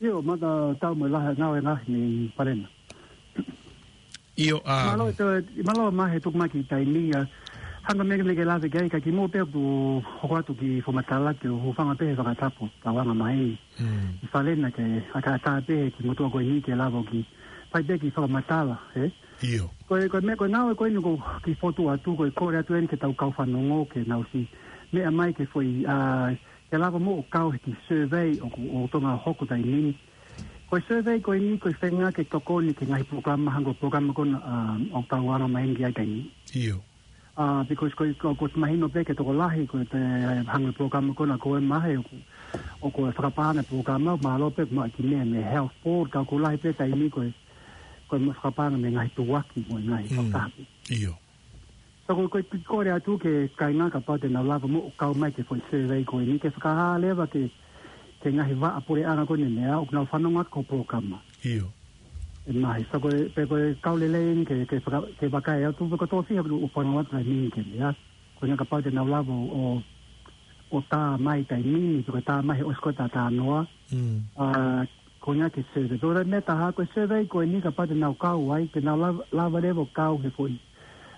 ʻIo, mālō e tau mo e lahi ngāue ngaahi ni Palena. ʻIo, ʻa. Mālō e tau, mālō mai he tuku mai ki he taimi ʻa. Hanga meʻa ke lave ki ai ka kimuʻa pē ʻoku hoko atu kiʻi fakamatala ke u hūfanga pē he fakatapu, tauange mai. Mm. ʻI Palena ke ʻatā pē he kiʻi motuʻa ko eni ke lava ʻo kiʻi fai pē kiʻi fakamatala, ē? ʻIo. Ko e, ko e meʻa, ko e ngāue ko eni ʻoku kiʻi fotu atu, ko e kole atu eni ki he tau kau fanongo ke nau ʻosi meʻa mai ki he foʻi, ʻa, ke lava mo ʻo kau he kiʻi survey ʻoku, ʻoku Tonga hoko taimi ni. Ko e survey ko eni, ko e feinga ke tokoni ki he ngaahi polokalama hangē ko e polokalama ko ena, ʻa, ʻoku tau anga mai ki ai taimi ni. ʻIo. ʻA, because ko, ko, ko e mahino pē ki he tokolahi, ko e hangē ko e polokalama ko ena ko e mahe, ʻoku, ʻoku fakapaʻanga e polokalama, mālō pē mo e kiʻi meʻa mei he health board, ka ʻoku lahi pē taimi ko e, ko e fakapaʻanga mei he ngaahi tuʻuaki mo e ngaahi Mm. fakatapu. ʻIo. So ko, ko e kole atu ki he kāinga kapau te nau lava mo ʻo kau mai ki he foʻi survey ko eni ke fakahā leva ki he, ki he ngaahi vaʻa puleʻanga ko eni meʻa, ʻoku nau fanongo atu ki hoʻo polokalama. ʻIo. ʻE mahi, so ko e, pe ko e kau lelei eni ke, ke faka-, ke vakai atu, pe ko e tō fiha ʻoku fanongo atu ki he meʻa ni ke meʻa. Ko e ʻuhinga kapau te nau lava ʻo, ʻo, ʻo tā mai taimi ni, pe ko e tā mai he ʻosi ko ē ʻeta talanoa. Mm. ʻA, Ko e ʻuhinga ke survey. Ko e meʻa ʻe taha ko e survey ko eni kapau te nau kau ai, te nau lava, lava leva ʻo kau he foʻi,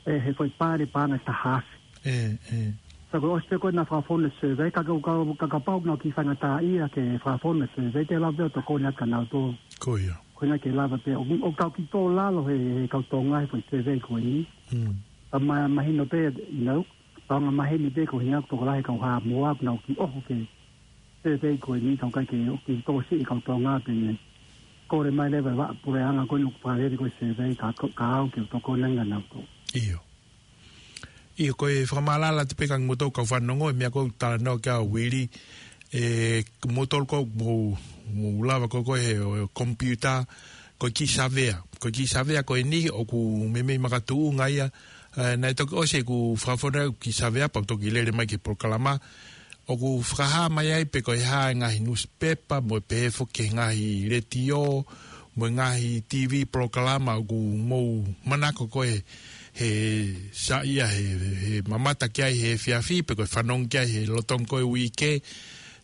ʻe, he foʻi pale paʻanga ʻe taha afe. ʻE, ʻe. Sio ko e ʻosi pē ko ē ʻenau fakafonu e survey, ka, ka, ka, ka kapau ʻoku nau kiʻi faingataʻaʻia ke fakafonu e survey, te lava pē ʻo tokoni atu kia nautolu. Ko ia. Ko e ʻuhinga ke lava pē, ʻo, ʻo kau ki tō lalo he, he kau Tonga he foʻi survey ko eni. Mm. Ka ma-, mahino pē, you know, ka ʻoku mahino pē ko e ʻuhinga ʻoku tokolahi e kau Haʻamoa, ʻoku nau kiʻi ʻoho ki he survey ko eni, ka ʻoku ʻikai ke ʻoku kiʻi tokosiʻi e kau Tonga pē ne kole mai leva e vaʻa puleʻanga ko eni ʻoku fakalele ko ē survey ka, ka, ka ʻoku ou tokoni ange kia nautolu. ʻIo. ʻIo, ko e fakamaʻalaʻala atu pē kia kimoutolu kau fanongo, e meʻa ko ē ʻoku talanoa ki ai ʻa Uili, ʻe, kimoutolu ʻoku mou, mou lava ko ē he, ʻo, computer, ko e kiʻi savea. Ko e kiʻi savea ko eni ʻoku meimei makatuʻunga ia, ʻe, naʻe toki ʻosi ʻeku fakafonu ʻeku kiʻi savea, pea u toki lele mai ki he polokalama, ʻoku fakahā mai ai pe ko e hā e ngaahi nusipepa, mo e pehē foki ki he ngaahi letiō, mo e ngaahi TV polokalama ʻoku mou manako ko ē he saiʻia he, he mamata ki ai he efiafi, pe ko e fanongo ki ai he lolotonga ko ē uike.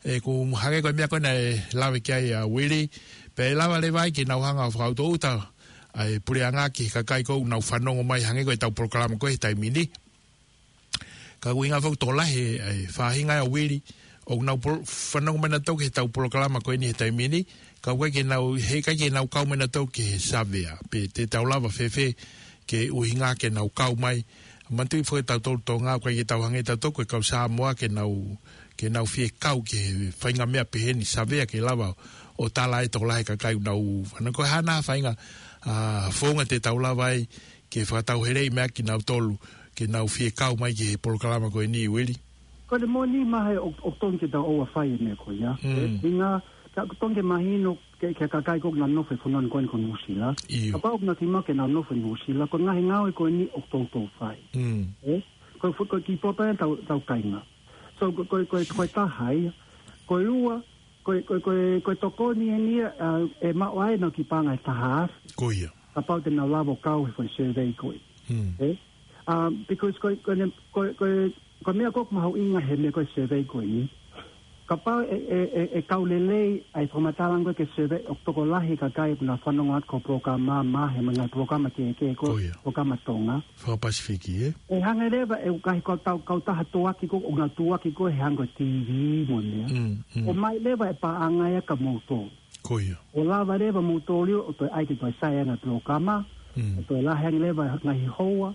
ʻE, ʻoku hangē ko e meʻa ko ē naʻe lave ki ai ʻa Uili, pea ʻe lava leva ai ke nau hanga ʻo fakaʻutoʻuta ʻa e puleʻanga ki he kakai ko ē ʻoku nau fanongo mai hangē ko ʻetau polokalama ko ē he taimi ni. Ka ʻoku ʻuhinga foki tokolahi e, e faʻahinga ʻa Uili, ʻoku nau polo-, fanongo mai nautolu ki heʻetau polokalama ko eni he taimi ni, ka ʻoku ʻikai ke nau, heʻikai ke nau kau mai nautolu ki he savea, pe te tau lava fēfē ke ʻuhinga ke nau kau mai. Manatuʻi foki ʻa tautolu Tonga, ʻoku ʻikai ke tau hangē tautolu ko e kau Samoa ke nau, ke nau fie kau ki he faʻahinga meʻa pehē ni, savea ke lava ʻo tala ai tokolahi e kakai ʻoku nau, ana ko e hā nai ha faʻahinga, ʻa, founga te tau lava ai ke fakatauheleʻi mai ai kinautolu, ke nau fie kau mai ki he polokalama ko eni, Uili. Ko e moʻoni Mahe, ʻoku, ʻoku totonu ke tau ʻoua fai e meʻa ko ia. Mm. ʻE, ʻuhinga, ka ʻoku totonu ke mahino ki he, ki he kakai ko ē ʻoku nau nofo he fonua ko eni ko Nuʻusila. ʻIo. Kapau ʻoku nau kiʻi maʻu ke nau nofo Nuʻusila, ko e ngaahi ngāue ko eni ʻoku toutou fai. Mm. ʻE, ko e fu-, ko e kiʻi pō pē ʻa ʻetau, ʻetau kāinga. So, ko, ko, ko, ko e taha ia. Ko e ua, ko e, ko e, ko e, ko e tokoni eni ia, ʻa, ʻe maʻu ai ʻenau kiʻi paʻanga ʻe taha afe. Ko ia. Kapau te nau lava ʻo kau he foʻi survey ko ē. Mm. ʻE? Um, because ko, ko, ko, ko, ko e meʻa ko ē ʻoku mahuʻinga he meʻa ko ē survey ko eni. Kapau ʻe, ʻe, ʻe, ʻe kau lelei ʻa e fakamatala ko ē ki he survey ʻoku tokolahi e kakai ʻoku nau fanongo atu ki he polokalama Mahe mo e ngaahi polokalama kehekehe ko ē, ko ia, polokalama Tonga. Fakapasifiki, ē? ʻE hangē leva ʻe ʻū kahi kau tau, kautaha tuʻuaki ko ē, ʻoku nau tuʻuaki ko ē he hangē ko e TV mo e meʻa. Mm, mm. ʻOmai leva e paʻanga ia kia moutolu. Ko ia. ʻO lava leva moutolu ʻo toe ʻai ke toe sai ange e polokalama, mm, ʻo toe lahi ange leva e ngaahi houa,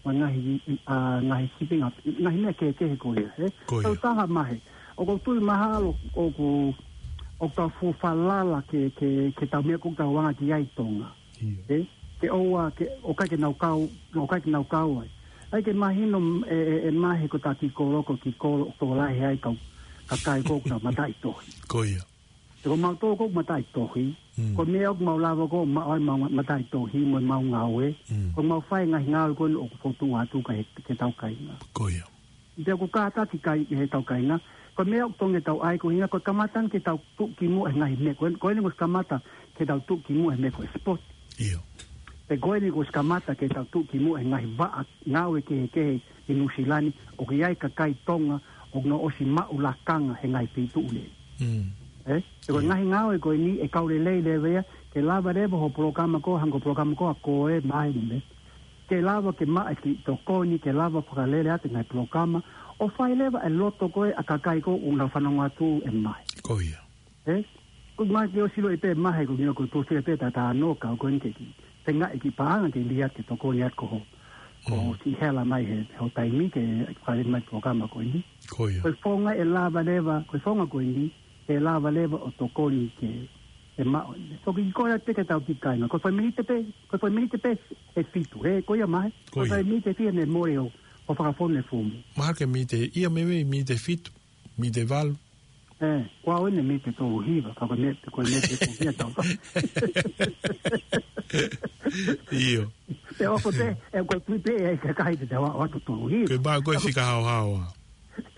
mo e ngaahi, ʻa, ngaahi shipping, ʻa, ngaahi meʻa kehekehe ko ia, ē? Ko ia. Kautaha Mahe, ʻoku ou tui mahalo ʻoku, ʻoku tau fuʻu falala ki he, ki he, ki he ʻetau meʻa ko ē ʻoku tau anga ki ai Tonga. ʻIo. Ē? Ke ʻoua, ke, ʻoku ʻikai ke nau kau, ʻoku ʻikai ke nau kau ai. ʻAi ke mahino, ē, ē, ē Mahe ko ʻeta kiʻi kolo, ko e kiʻi kolo ʻoku tokolahi ai e kau kakai ko ē ʻoku nau mataʻitohi. Ko ia. He ko mautolu ko ē ʻoku mataʻitohi. Mm. Ko e meʻa ʻoku mau lava ko ē ʻo maʻu ai ʻemau mataʻitohi mo ʻemau ngāue. Mm. Ko ʻemau fai e ngaahi ngāue ko eni ʻoku fokotuʻu atu ki he, ki heʻetau kāinga. Ko ia. Pea ʻoku kātaki ki ai ʻe heʻetau kāinga. Ko e meʻa ʻoku totonu ke tau ʻai ko e ʻuhinga, ko e kamata eni ke tau tuʻu ki muʻa he ngaahi meʻa. Ko eni, ko eni kuo ʻosi kamata ke tau tuʻu ki muʻa he meʻa ko e sport. ʻIo. Pea ko eni kuo ʻosi kamata ke tau tuʻu ki muʻa he ngaahi vaʻa ngāue kehekehe ʻi Nuʻusila ni, ʻoku ʻi ai e kakai Tonga ʻoku nau ʻosi maʻu lakanga he ngaahi feituʻu lelei. Mm. Ē? Pea ko e, ʻio, ngaahi ngāue ko eni ʻe kau lelei leva ia, ke lava leva hoʻo polokalama ko ē, hangē ko e polokalama ko ē ʻa koe Mahe mo e meʻa. Ke lava ke maʻu e kiʻi tokoni, ke lava fakalele atu e ngaahi polokalama, ʻo fai leva e loto ko ē ʻa e kakai ko ē ʻoku nau fanongo atu ē Mahe. Ko ia. Ē? Ko e meʻa ke ʻosi ʻilo ʻe pē Mahe ko e meʻa ko e tuʻu sila pē ʻeta talanoa ka ko eni ke kiʻi feingaʻi kiʻi paʻanga ke lī atu ke tokoni atu ki hoʻo, ko hoʻo, mm, siʻi hela mai he, he hoʻo taimi ke fai mai e polokalama ko eni. Ko ia. Ko e founga ʻe lava leva, ko e founga ko eni, ʻe lava leva ʻo tokoni ke, ke maʻu. So kiʻi kole atu pē ki heʻetau kiʻi kāinga. Ko e fai miniti pē, ko e fai miniti pē ʻe fitu. Ē, ko ia Mahe. Ko ia. Ko e fai miniti ʻe fiha ne mole ʻo, ʻo fakafonu e foomu. Mahalo ko e miniti, ʻio meimei miniti ʻe fitu, miniti ʻe valu. Ē, ko au eni miniti ʻe tolu hiva, ka ko e miniti, ko e miniti ʻe tolu hiva tau. ʻIo. Pea ʻoku pē, ē, ko e tui pē, ē, kakai te tau ʻoatu tolu hiva. Ko e meʻa ko ē fika haohaoa.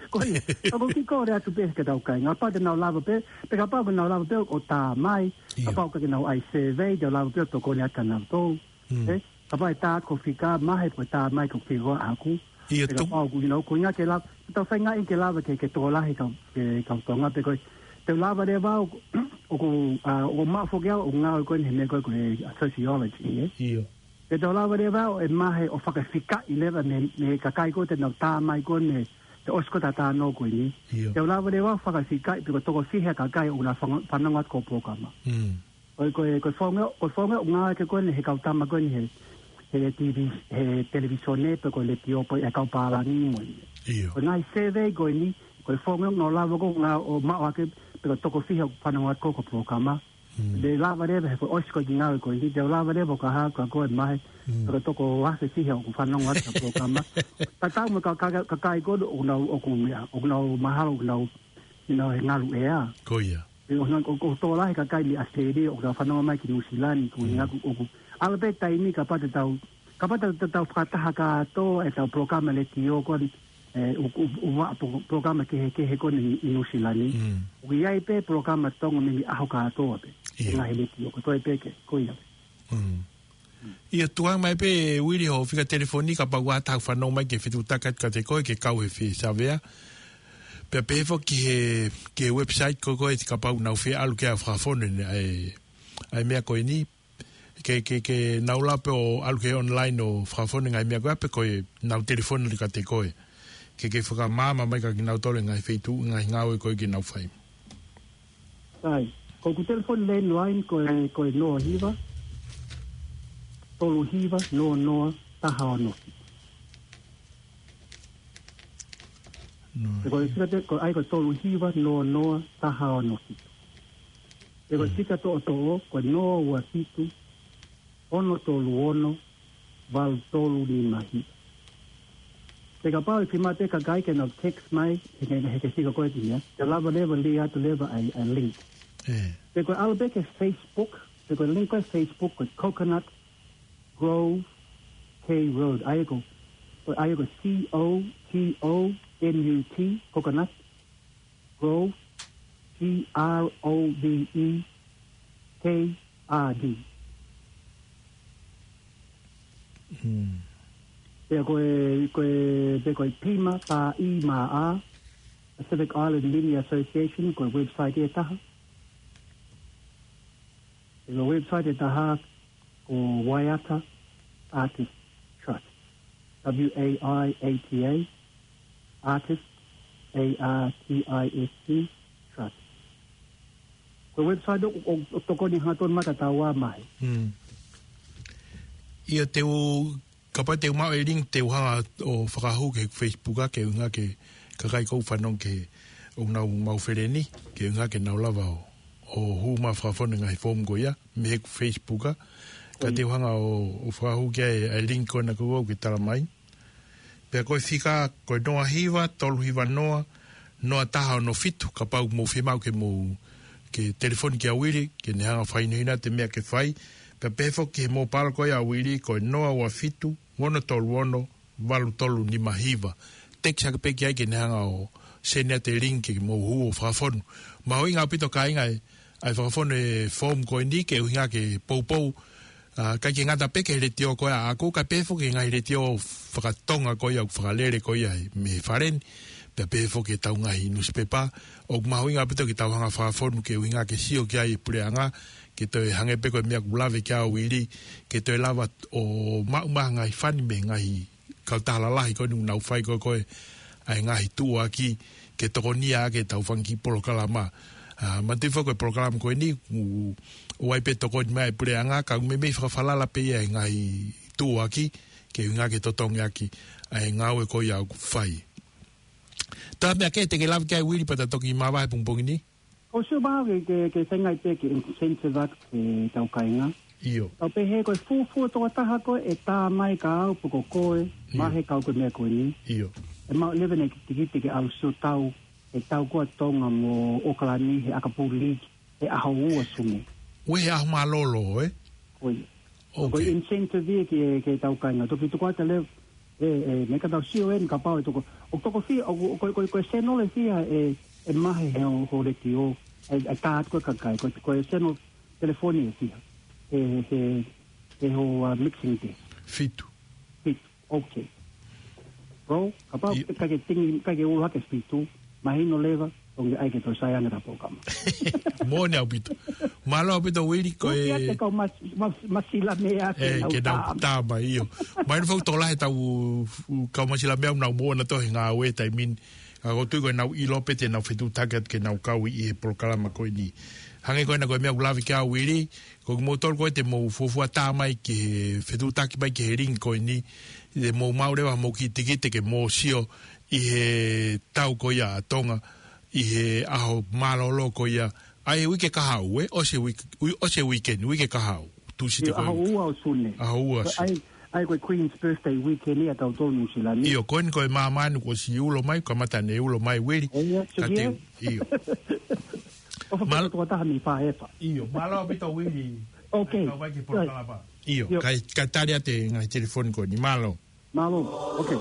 Ko ia, ka ko e kiʻi kole atu pē ki heʻetau kāinga, kapau te nau lava pē, pe kapau te nau lava pē ʻo tā mai, ʻio, kapau ʻikai ke nau ʻai survey, te nau lava pē ʻo tokoni atu kia nautolu. Mm. Ē, kapau ʻe tā atu ko e fika Mahe pe ko e tā mai ko e fika ʻaʻaku. ʻIo, pe kapau ʻoku, you know, ko e ʻuhinga ke lava, tau feingaʻi ke lava ke, ke tokolahi e kau, e kau Tonga pe ko e, te u lava leva au, ʻOku, ʻa, ʻoku maʻu foki au ʻoku ngāue ko eni he meʻa ko ē ko e sociology, ē? ʻIo. Te tau lava leva ʻo ʻemahe ʻo fakafikaʻi leva mei, mei he kakai ko ē te nau tā mai ko eni he ʻosi ko ē ʻeta talanoa ko eni. ʻIo. Te tau lava leva ʻo fakafikaʻi pe ko e toko fiha e kakai ʻoku nau fanga-, fanongo atu ki hoʻo polokalama. Mm. Ko e, ko e, ko e faʻahinga, ko e faʻahinga ʻoku ngāueʻaki ko eni he kau tama ko eni he, he T V, he televīsone pe ko e letiō pe ko e kau pālangi mo ia. ʻIo. Ko e ngaahi survey ko eni, ko e faʻahinga ʻoku nau lava ko ē ʻo ngāueʻaki pe ko e toko fiha ʻoku fanongo atu ki hoʻo polokalama. Mm. Te lava leva he ko e ʻosi ko ē e ngāue ko eni, te lava leva ʻo ka hā ka ko e mahe, Mm. pe ko e toko afe fiha ʻoku fanongo atu ki hoʻo polokalama. Tatau mo e ka, ka, ka, kakai ko ē ʻoku nau, ʻoku meʻa, ʻoku nau mahalo, ʻoku nau, you know, he ngalu ʻea. Ko ia. ʻOku nau, ʻoku, ʻoku tokolahi e kakai mei ʻAositelēlia, ʻoku nau fanongo mai ki Nuʻusila ni, ko Mm. ia ʻoku, ʻoku. ʻAlu pē taimi kapau te tau, kapau te tau, tau fakataha kātoa ʻetau polokalama letiō ko eni, ē, ʻoku, ʻoku, ʻoku ʻi ai e po-, polokalama kehekehe ko eni ʻi, ʻi Nuʻusila ni. Mm. ʻOku ʻi ai pē polokalama Tonga mei he ʻaho kātoa pē. ʻIo. Ngaahi letiō, ko e toe pē ke, ko ia. Mm. ʻIo, tuku mai pē Uili hoʻo fika telefoni kapau ʻoku ʻi ai ha taha ʻoku fanongo mai ke fetuʻutaki atu kiate koe ke kau he fie savea. Pea pehē foki ki he, ki he website ko ē ko ē kapau ʻoku nau fie ʻalu ki ai ʻo fakafonu ʻa e, ʻa e meʻa ko eni. Ke, ke, ke nau lava pē ʻo ʻalu ki he online ʻo fakafonu e ngaahi meʻa ko ia pe ko ʻenau telefoni atu kiate koe. Ke, ke fakamaama mai kiate kinautolu e ngaahi feituʻu, ngaahi ngāue ko ē ʻoku nau fai. ʻAi, ko ʻeku telefoni landline ko e, ko e noa hiva, tolu hiva, noa noa, taha ono fitu. Noa Pe ko e hiva. Fika te, ko e ʻai ko e tolu hiva, noa noa, taha ono fitu. Pe ko e Mm. fika toʻotoʻo, ko e noa ua fitu, ono tolu ono, valu tolu nima hiva. Pea kapau ʻe fiemaʻu pē kakai ke nau text mai, he, he, he ke fika ko ē ki ai. Te lava leva ʻo lī atu leva ʻa e, ʻa e link. Ē. Pe ko e ʻalu pē ki he Facebook, pe ko e link ko ē Facebook, ko e Coconut Grove K Road. ʻAi ko, ko e ʻai ko e C O T O N U T, Coconut. Grove, G R O V E, K R D. Mm. Pea ko e, ko e, pea ko e P I M A, P I M A, Pacific Island Media Association, ko e website ʻe taha. Pea ko e website ʻe taha, ko Waiata Artist Trust. W A I A T A, Artist, A R T I S T, Trust. Ko e website ʻoku, ʻoku, ʻoku tokoni hangatonu mai ki heʻetau mahe. Mm. ʻIo te u, kapau te u maʻu e link te u hanga ʻo fakahū ki he Facebook ʻa ke ʻuhinga ki he kakai ʻoku fanongo ki he ʻoku nau maʻu feleni, ke ʻuhinga ke nau lava ʻo, ʻo hū mai ʻo fakafonu e ngaahi foomu ko ia, mei he Facebook ʻa, ka Mm. te u hanga ʻo, ʻo fakahū ki ai e link ko ena ko ē ʻoku ke tala mai. Pea ko e fika, ko e noa hiva, tolu hiva noa, noa taha ono fitu, kapau ʻoku mou fiemaʻu ke mou, ke telefoni kia Uili, ke ne hanga ʻo fakahinohino atu e meʻa ke fai. Pea pehē foki ki he mobile ko ia ʻa Uili, ko e noa ua fitu, ono tolu ono, valu tolu nima hiva. Text hake pē ki ai ke ne hanga ʻo send atu e link ke mou hū ʻo fakafonu. Mahuʻinga ʻaupito kāinga e, ʻa e fakafonu e foomu ko eni ke ʻuhinga ke poupou. ʻA, ʻikai ke ngata pē ki he letiō ko ia ʻaʻaku, kae pehē foki ki he ngaahi letiō fakatonga ko ia, fakalele ko ia mei fale ni. Pea pehē foki ki heʻetau ngaahi nusipepa. ʻOku mahuʻinga ʻaupito ke tau hanga ʻo fakafonu ke ʻuhinga ke sio ki ai e puleʻanga, ke toe hangē pē ko e meʻa ʻoku lave ki ai ʻa Uili, ke toe lava ʻo maʻu mai ha ngaahi fani mei he ngaahi kautaha lalahi ko eni ʻoku nau fai ko ē ko ē ʻa e ngaahi tuʻuaki ke tokonia ʻaki ʻetau fanga kiʻi polokalama. ʻA, manatuʻi foki ko e polokalama ko eni, ʻoku, ʻoku ʻi ai pē tokoni mai e puleʻanga, ka ʻoku meimei fakafalala pē ia he ngaahi tuʻuaki, ke ʻuhinga ke totongi ʻaki ʻa e ngāue ko ia ʻoku fai. Tā meʻa kehe te ke lave ki ai Uili pea ta toki māvae he pongipongi ni? ʻOsi ʻo maʻu ke, ke, ke feinga pē ke incentive atu ki heʻetau kāinga. ʻIo. Tau pehē ko e fuofua tokotaha ko ē ʻe tā mai kia au pe ko koe, ʻIo. mahe kau ko e meʻa ko eni. ʻIo. ʻE maʻu leva ʻene tikite ke ʻalu sio tau, he tau ko ē Tonga mo ʻAokalani he ʻakapulu league, he ʻaho ua Sune. ʻOku ʻi ai ha ʻaho mālōlō, ē? Ko ia. Ko e Okay. incentive ia ki he, ki heʻetau kāinga. Toki tuku atu leva, ē, ē, meʻa ka tau sio eni kapau ʻe toko, ʻoku toko fiha, ʻoku, ko, ko, ko e channel ʻe fiha ʻe, ʻe mahe he hoʻo, hoʻo letiō, ʻe, ʻe tā atu ko ē kakai, ko, ko e channel telefoni ʻe fiha, he, he, he hoʻo, uh, mixing desk. Fitu. Fitu, okay. Bro, kapau ʻIo. ʻikai ke tingi, ʻikai ke ʻulu hake fitu, mahino leva, Onge ai ke toe sai ange ʻetau polokalama. Moʻoni ʻaupito. Mālō ʻaupito Uili ko e. Uki ate kau mas, mas, masila mea ke e, nau ke nau tā. Tā mai ʻio. Mai ni fau tola he tau u, kau masila mea nau moʻona tohi ngāue taimi ni. Ka ko e tui ko e nau ʻilo pē te nau fetuʻutaki atu ke nau kau ʻi he polokalama ko eni. Hangē ko ena ko e meʻa ʻoku lave ki ai Uili, ko kimoutolu ko ē te mou fuofua tā mai ki he fetuʻutaki mai ki he link ko eni, te mou maʻu leva hoʻomou kiʻi tikite ke mou sio ʻi he tau ko ia ʻa Tonga, ʻi he ʻaho mālōlō ko ia, ʻa e uike kahaʻu, ē? ʻOsi e uike, ui-, ʻosi e weekend, uike kahaʻu. Tūsite ʻIo, ko ʻaho ua ʻo Sune. ʻAho ua ʻo Sune. ʻAi, ʻai ko e Queen's Birthday weekend ia ʻa tautolu Nuʻusila ni. ʻIo, ko eni ko e māmani kuo ʻosi ulo mai, kamata ʻene ulo mai Uili. ʻE, ia, Ka te, Susie. ʻIo. ʻOfa Māl- pē tokotaha mei Fāhefa. ʻIo, mālō ʻaupito Uili. Ok. Kau mai ki he polokalama. ʻIo, ʻIo. Kae, kae tali atu e ngaahi telefoni ko eni. Mālō. Mālō. Ok.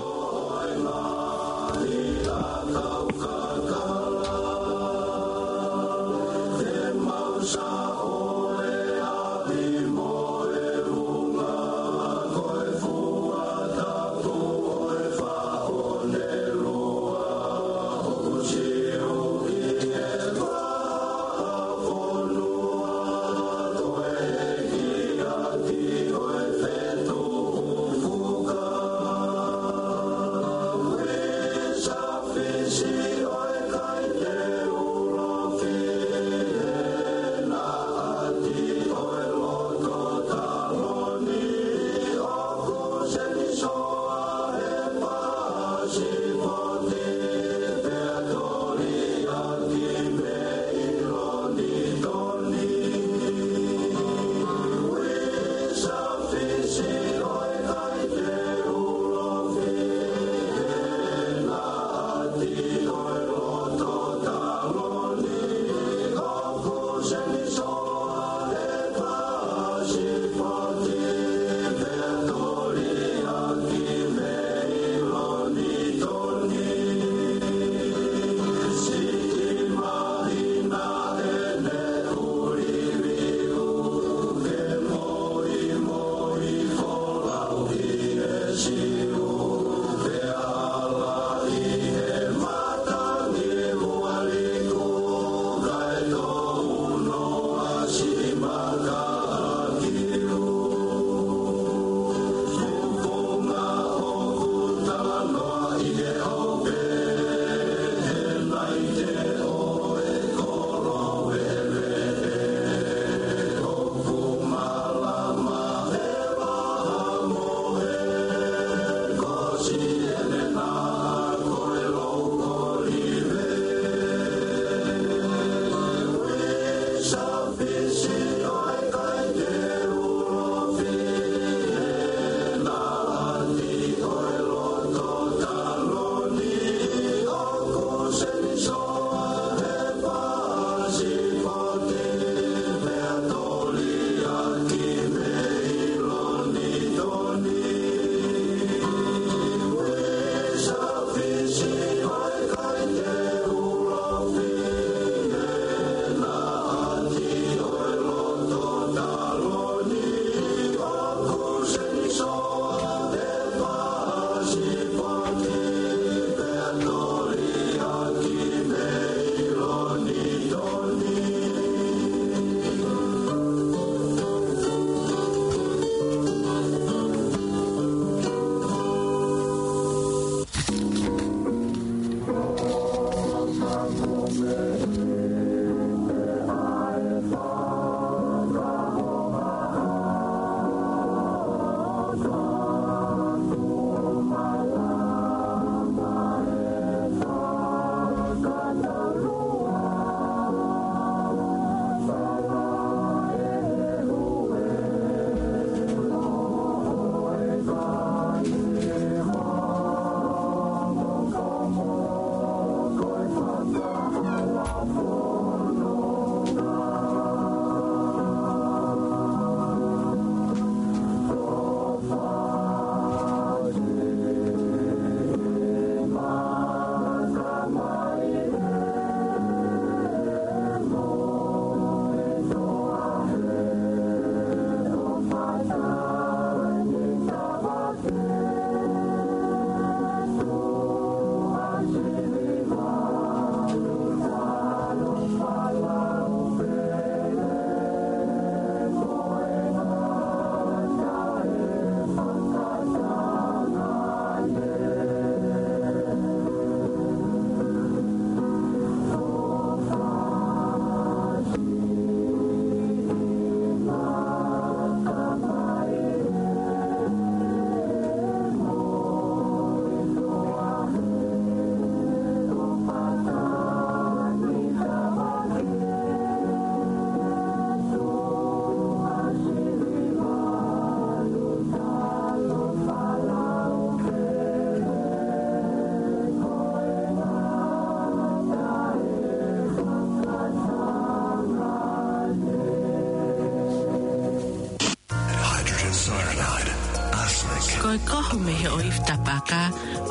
ʻOku kohu mei he ʻoifi tapaka,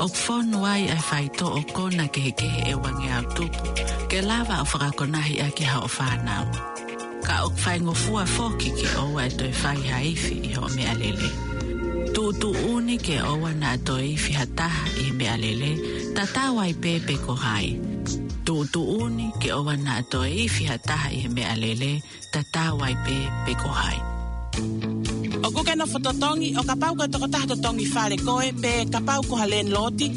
ʻoku fonu ai ʻa e faitoʻo kona kehekehe ʻe uangeau tupu, ke lava ʻo fakakonahi ʻaki haʻo fānau. Ka ʻoku faingofua foki ke ʻoua ʻe toe fai ha ifi ʻi hoʻo meʻalele. Tuʻutuʻuni ke ʻoua naʻa toe ifi ha taha ʻi he meʻalele, tatau ai pē pe ko hai. Tuʻutuʻuni ke ʻoua naʻa toe ifi ha taha ʻi he meʻalele, tatau ai pē pe ko hai. ʻOku ke nofo totongi, ʻo kapau ko e tokotaha totongi fale koe, pe kapau ko ha lēniloti,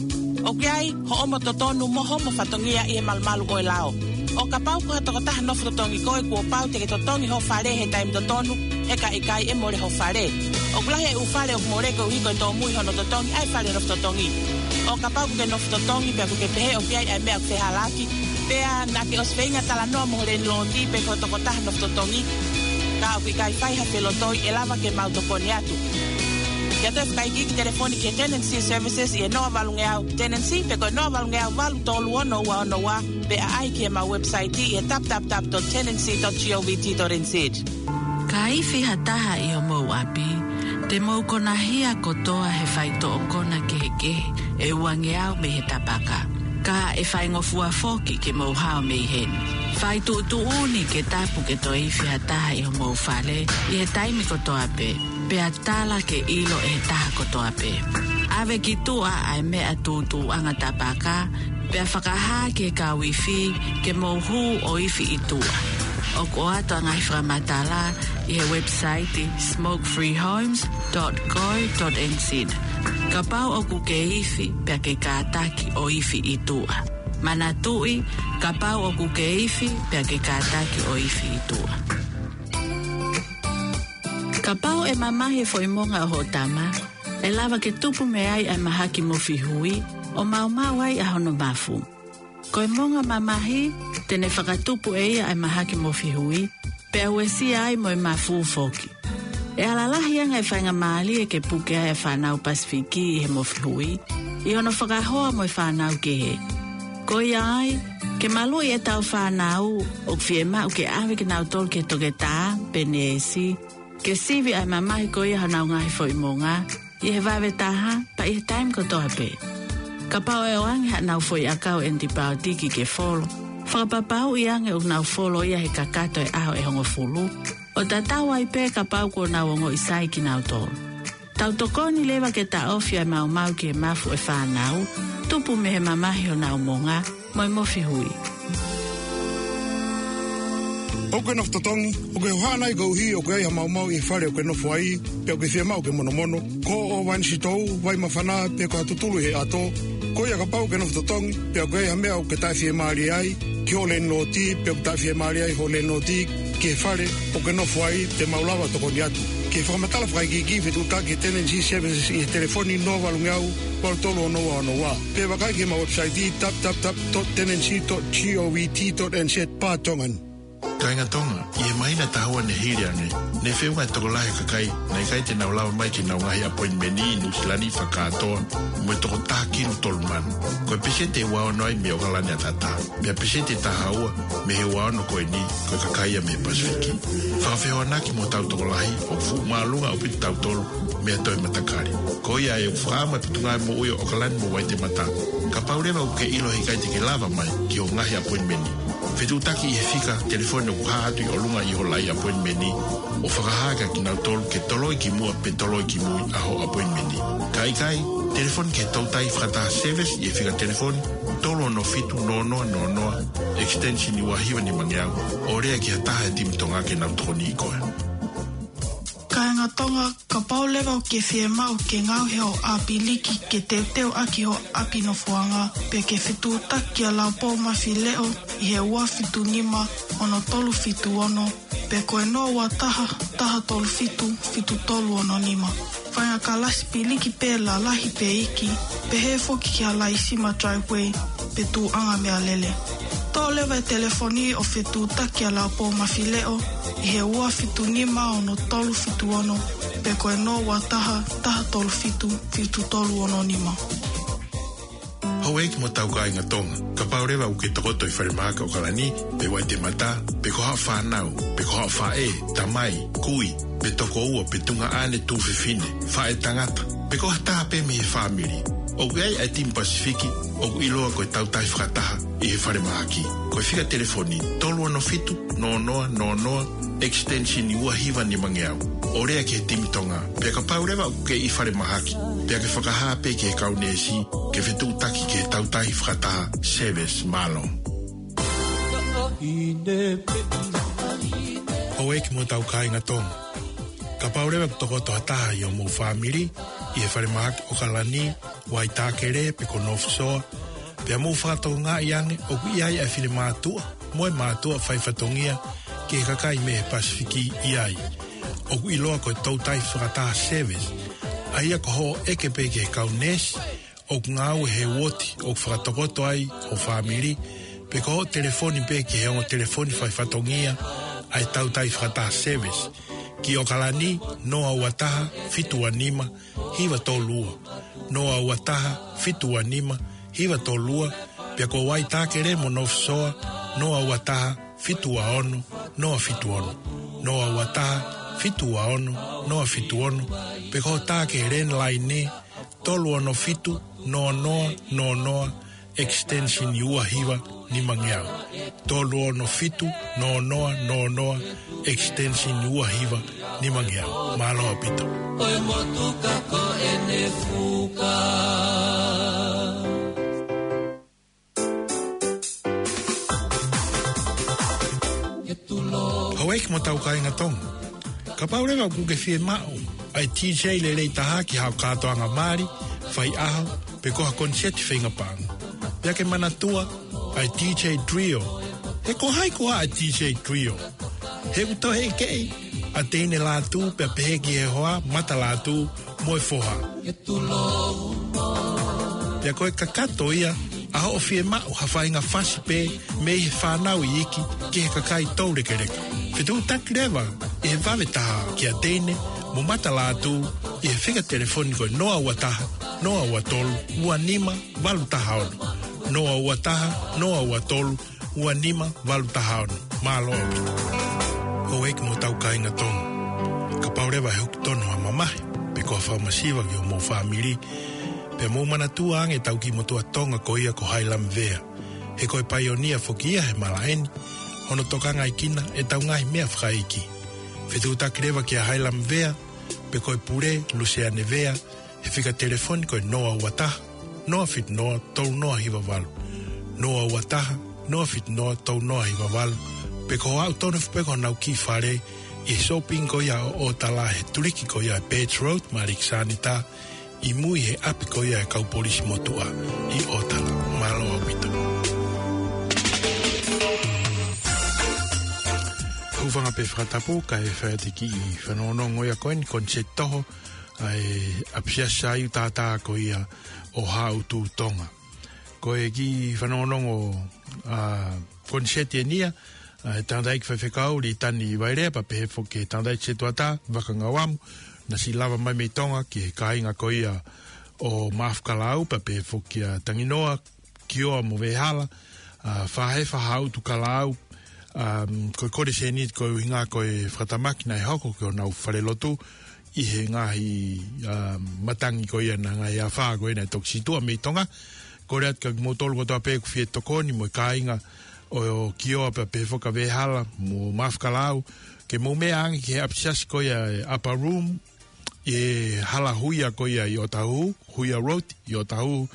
ʻoku ʻi ai hoʻomo totonu mo hoʻomo fatongia ʻi he malumalu ʻo e lao. ʻO kapau ko ha tokotaha nofo totongi koe, kuo pau te ke totongi ho fale he taimi totonu, he ka ʻikai ʻe mole ho fale. ʻOku lahi e ʻū fale ʻoku mole koeʻuhi ko e tōmui hono totongi ʻa e fale nofo totongi. ʻO kapau ʻoku ke nofo totongi pea ʻoku ke pehē ʻoku ʻi ai ʻa e meʻa ʻoku fehālaaki, pea naʻa ke ʻosi feinga talanoa mo ho lēniloti pe ko e tokotaha nofo totongi, ka ʻoku ʻikai fai ha felotoi, ʻe lava ke mau tokoni atu. Ke toe fakaikiiki, telefoni ki he Tenancy Services ʻi he noa valungeau Tenancy pe ko e noa valungeau valu tolu ono ua ono ua, pe ʻaʻahi ki heʻemau website ʻi he w w w dot tenancy dot govt dot n z. Ka ifi ha taha ʻi homou ʻapi, te mou konahia kotoa he faitoʻo kona kehekehe ʻe uangeau mei he tapaka. Ka ʻe faingofua foki ke mou hao mei heni. Fai tuʻutuʻuni ke tapu ke toe ifi ha taha ʻi homou fale ʻi he taimi kotoa pē, pea tala ke ʻilo ʻe he taha kotoa pē. ʻAve ki tuʻa ʻa e meʻa tūtuuʻanga tapaka, pea fakahā ki he kau ifi ke mou hū ʻo ifi ʻi tuʻa. ʻOku ʻoatu ʻa e ngaahi fakamatala ʻi he website smoke free homes dot co dot n z. Kapau ʻoku ke ifi, pea ke kātaki ʻo ifi ʻi tuʻa. Manatuʻi, kapau ʻoku ke ifi, pea ke kātaki ʻo ifi ʻi tuʻa. Kapau ʻe mamahi e foʻi monga ʻo hoʻo tama, ʻe lava ke tupu mei ai ʻa e mahaki mofihui, ʻo maumau ai ʻa hono mafu. Ko e monga mamahi, te ne fakatupu ʻe ia ʻa e mahaki mofihui, pea uesia ai mo e mafu foki. ʻE ala lahi ange e faingamālie ke puke ai ʻa e fānau Pasifiki ʻi he mofihui, ʻi hono fakahoa mo e fānau kehe. Ko ia ai, ke maluʻi ʻetau fānau, ʻoku fiemaʻu ke ʻave kinautolu ki he toketā pe neesi, ke sivi ʻa e mamahi ko ia honau ngaahi foʻi monga, ʻi he vave taha, pea ʻi he taimi kotoa pē. Kapau ʻe ʻoange haʻanau foʻi ʻakau ʻenipaotiki ke folo, fakapapauʻi ange ʻoku nau folo ia he kakato e ʻaho ʻe hongofulu, ʻo tatau ai pē kapau kuo nau ongoʻi sai kinautolu. Tau tokoni leva ke taʻofi ʻa e maumau ki he mafu ʻo e fānau, tupu mei he mamahi honau monga, mo e mofihui. ʻOku ke nofo totongi, ʻoku ke hohaʻa nai koeʻuhi ʻoku ʻi ai ha maumau ʻi he fale ʻoku ke nofo ai, pe ʻoku ke fiemaʻu ke monomono? Ko hoʻo vainisitō, vai māfana, pe ko ha tutulu ʻi he ʻato. Ko ia kapau ʻoku ke nofo totongi, pe ʻoku ʻi ai ha meʻa ʻoku ke taʻefiemālie ai ki hoʻo lēniloti, pe ʻoku taʻefiemālie ai hoʻo lēniloti ki he fale ʻoku ke nofo ai, te mau lava tokoni atu. Ke fakamatala fakaikiiki, fetuʻutaki Tenancy Services ʻi he telefoni noa valungeau valu tolu ono ua ono ua. Pe vakai ki heʻemau website w w w dot tenancy dot govt dot n z barra Tongan. Kāinga Tonga, ʻi he māhina ʻe taha ua ne hili ange, ne feʻunga e tokolahi e kakai naʻe ʻikai te nau lava mai ki heʻenau ngaahi appointment ʻi Nuʻusila ni fakakātoa mo e toko taha kilu tolu mano. Ko e peseti ʻe ua ono ai mei ʻOkalani ʻAtatā. Pea peseti ʻe taha ua mei he ua ono ko eni, ko e kakai ia mei Pasifiki. Fakafehoanaki mo hotau tokolahi, ʻoku fuʻu māʻolunga ʻaupito kitautolu mei ha toe matakali. Ko ia ai ʻoku fakaʻamu e Potungāue Moʻui ʻo ʻOkalani mo Vaitemata. Kapau leva ʻoku ke ʻilo he ʻikai te ke lava mai ki hoʻo ngaahi appointment, fetuʻutaki ʻi he fika telefoni ʻoku hā atu ʻi ʻolunga ʻi hoʻo laʻi appointment, ʻo fakahā kia kinautolu ke toloi ki muʻa pe toloi ki mui ʻa hoʻo appointment. Ka ʻikai, telefoni ki he toutai fakataha service ʻi he fika telefoni tolu ono fitu noa noa noa noa, extension ua hiva nima ngeau, ʻo lea ki ha taha e timi Tonga ke nau tokoniʻi koe. Kāinga Tonga, kapau leva ʻoku ke fiemaʻu ke ngaohi hoʻo ʻāpiliki ke teuteu ʻaki hoʻo ʻapi nofoʻanga, pe ke fetuʻutaki kia Laupou Mafileʻo ʻi he ua fitu nima ono tolu fitu ono, pe ko e noa ua taha, taha tolu fitu, fitu tolu ono nima. Faʻahinga kalasi piliki pē lalahi pe iiki, pehē foki ki ha laisima driveway pe tuʻuʻanga meʻalele. Toʻo leva e telefoni ʻo fetuʻutaki kia Laupou Mafileʻo ʻi he ua fitu nima ono tolu fitu ono, pe ko e noa ua taha, taha tolu fitu, fitu tolu ono nima. Houʻeiki mo hotau kāinga Tonga, kapau leva ʻoku ke tokoto ʻi falemahaki ʻOkalani, pe Waitemata, pe ko haʻo fānau, pe ko haʻo faʻē, tamai, kui, pe tokoua, pe tuongaʻane, tuofefine, faʻētangata, pe ko ha taha pē mei he fāmili, ʻoku ʻi ai ʻa e timi Pasifiki ʻoku ʻiloa ko e Tautai Fakataha ʻi he falemahaki. Ko e fika telefoni, tolu ono fitu, noa noa noa noa, extension ua hiva nimangeau, ʻo lea ki he timi Tonga. Pea kapau leva ʻoku ke ʻi falemahaki, pea ke fakahā pē ki he kau neesi ke fetuʻutaki ki he Tautai Fakataha service. Mālō. Houʻeiki mo hotau kāinga Tonga, kapau leva ʻoku tokoto ha taha ʻi hoʻomou fāmili ʻi he falemahaki ʻOkalani, Waitākele, pe ko North Shore, pea mou fakatokangaʻi ange ʻoku ʻi ai ʻa e finemātuʻa mo e mātuʻa faifatongia ki he kakai mei he Pasifiki ʻi ai, ʻoku ʻiloa ko e Tautai Fakataha service, ʻa ia ko hoʻo ʻeke pē ki he kau neesi ʻoku ngāue he uooti ʻoku fakatokoto ai ho fāmili, pe ko hoʻo telefoni pē ki he ongo telefoni faifatongia ʻa e Tautai Fakataha service, ki ʻOkalani, noa ua taha, fitu ua nima, hiva tolu ua, noa ua taha, fitu ua nima, hiva tolu ua, pea ko Waitākele mo North Shore, noa ua taha, fitu ua ono, noa fitu ono, noa ua taha, fitu ua ono, noa fitu ono, pe ko e tā ki he landline, tolu ono fitu, noa noa noa noa, extension ua hiva nimangeau. Tolu ono fitu, noa noa noa noa, extension ua hiva nimangeau. Mālō ʻaupito. Ko e motuka ko ʻene fuka. Houʻeiki mo hotau kāinga Tonga, kapau leva ʻoku ke fiemaʻu ʻa e D J lelei taha ki haʻo kātoanga mali, faiʻaho, pe ko ha koniseti feinga paʻanga, pea ke manatua ʻa e D J Trio. He ko hai koā ʻa e D J Trio? He ʻoku toe ʻeke ʻa Teine Lātū pea pehē ki he hoa, Mata Lātū, mo e foha. Pea ko e kakato ia ʻa hoʻo fiemaʻu ha faʻahinga fasi pē mei he fānau iiki ki he kakai toulekeleka. Fetuʻutaki leva ʻi he vave taha kia Teine mo Mata Lātū ʻi he fika telefoni ko e noa ua taha, noa ua tolu, ua nima, valu taha ono. Noa ua taha, noa ua tolu, ua nima, valu taha ono. Mālō ʻaupito. Houʻeiki mo hotau kāinga Tonga, kapau leva ʻe hoko tonu ha mamahi pe ko ha fakamasiva ki hoʻomou fāmili, pea mou manatua ange ʻetau kiʻi motuʻa Tonga ko ia ko Hailamvea. He ko e paionia foki ia he malaʻe ni, hono tokangaʻi kinautolu ʻe heʻetau ngaahi meʻa fakaʻeiki. Fetuʻutaki leva kia Hailamvea pe ko e pule, Luseane Vea, he fika telefoni ko e noa ua taha, noa fitu noa, tolu noa hiva valu. Noa ua taha, noa fitu noa, tolu noa hiva valu. Pe ko e aʻu tonu foki pē ki honau kiʻi fale ʻi he shopping ko ia ʻo ʻOtala he tuliki ko ia Birch Road, Malik Sanita, ʻi mui he ʻapi ko ia ʻa e kau polisi motuʻa ʻi ʻOtala. Mālō ʻaupito. Hūfanga pē fakatapu kae fai atu e kiʻi fanongonongo ia ko eni, koniseti toho ʻa e ʻApisiasi Saiu Tātā ko ia ʻo Haʻutu, Tonga. Ko e kiʻi fanongonongo, ʻa, koniseti eni ia ʻa e tangataʻeiki faifekau Litani Vailea pea pehē foki ki he tangataʻeiki setuata Vaka Ngauamu, naʻe siʻi lava mai mei Tonga ki he kāinga ko ia ʻo Maʻafu Kalaau pea pehē foki kia Tanginoa, Kioa mo Vehāla, ʻa, Fahefa, Haʻutu, Kalaau, ʻa, ko e kole sēniti ko e ʻuhinga ko e fakatamaki naʻe hoko ki honau falelotu ʻi he ngaahi, ʻa, matangi ko ia, ngaahi afā ko ia naʻe toki situʻa mei Tonga. Kole atu kia kimoutolu kotoa pē ʻoku fie tokoni mo e kāinga ʻo, ʻo Kioa pea pehē foki kia Vehāla mo Maʻafu Kalaau, ke mou meʻa ange ki he ʻapisiasi ko ia ʻa e Upper Room, ʻi he hala huia ko ia ʻi ʻOtahuhu, Huia Road ʻi ʻOtahuhu,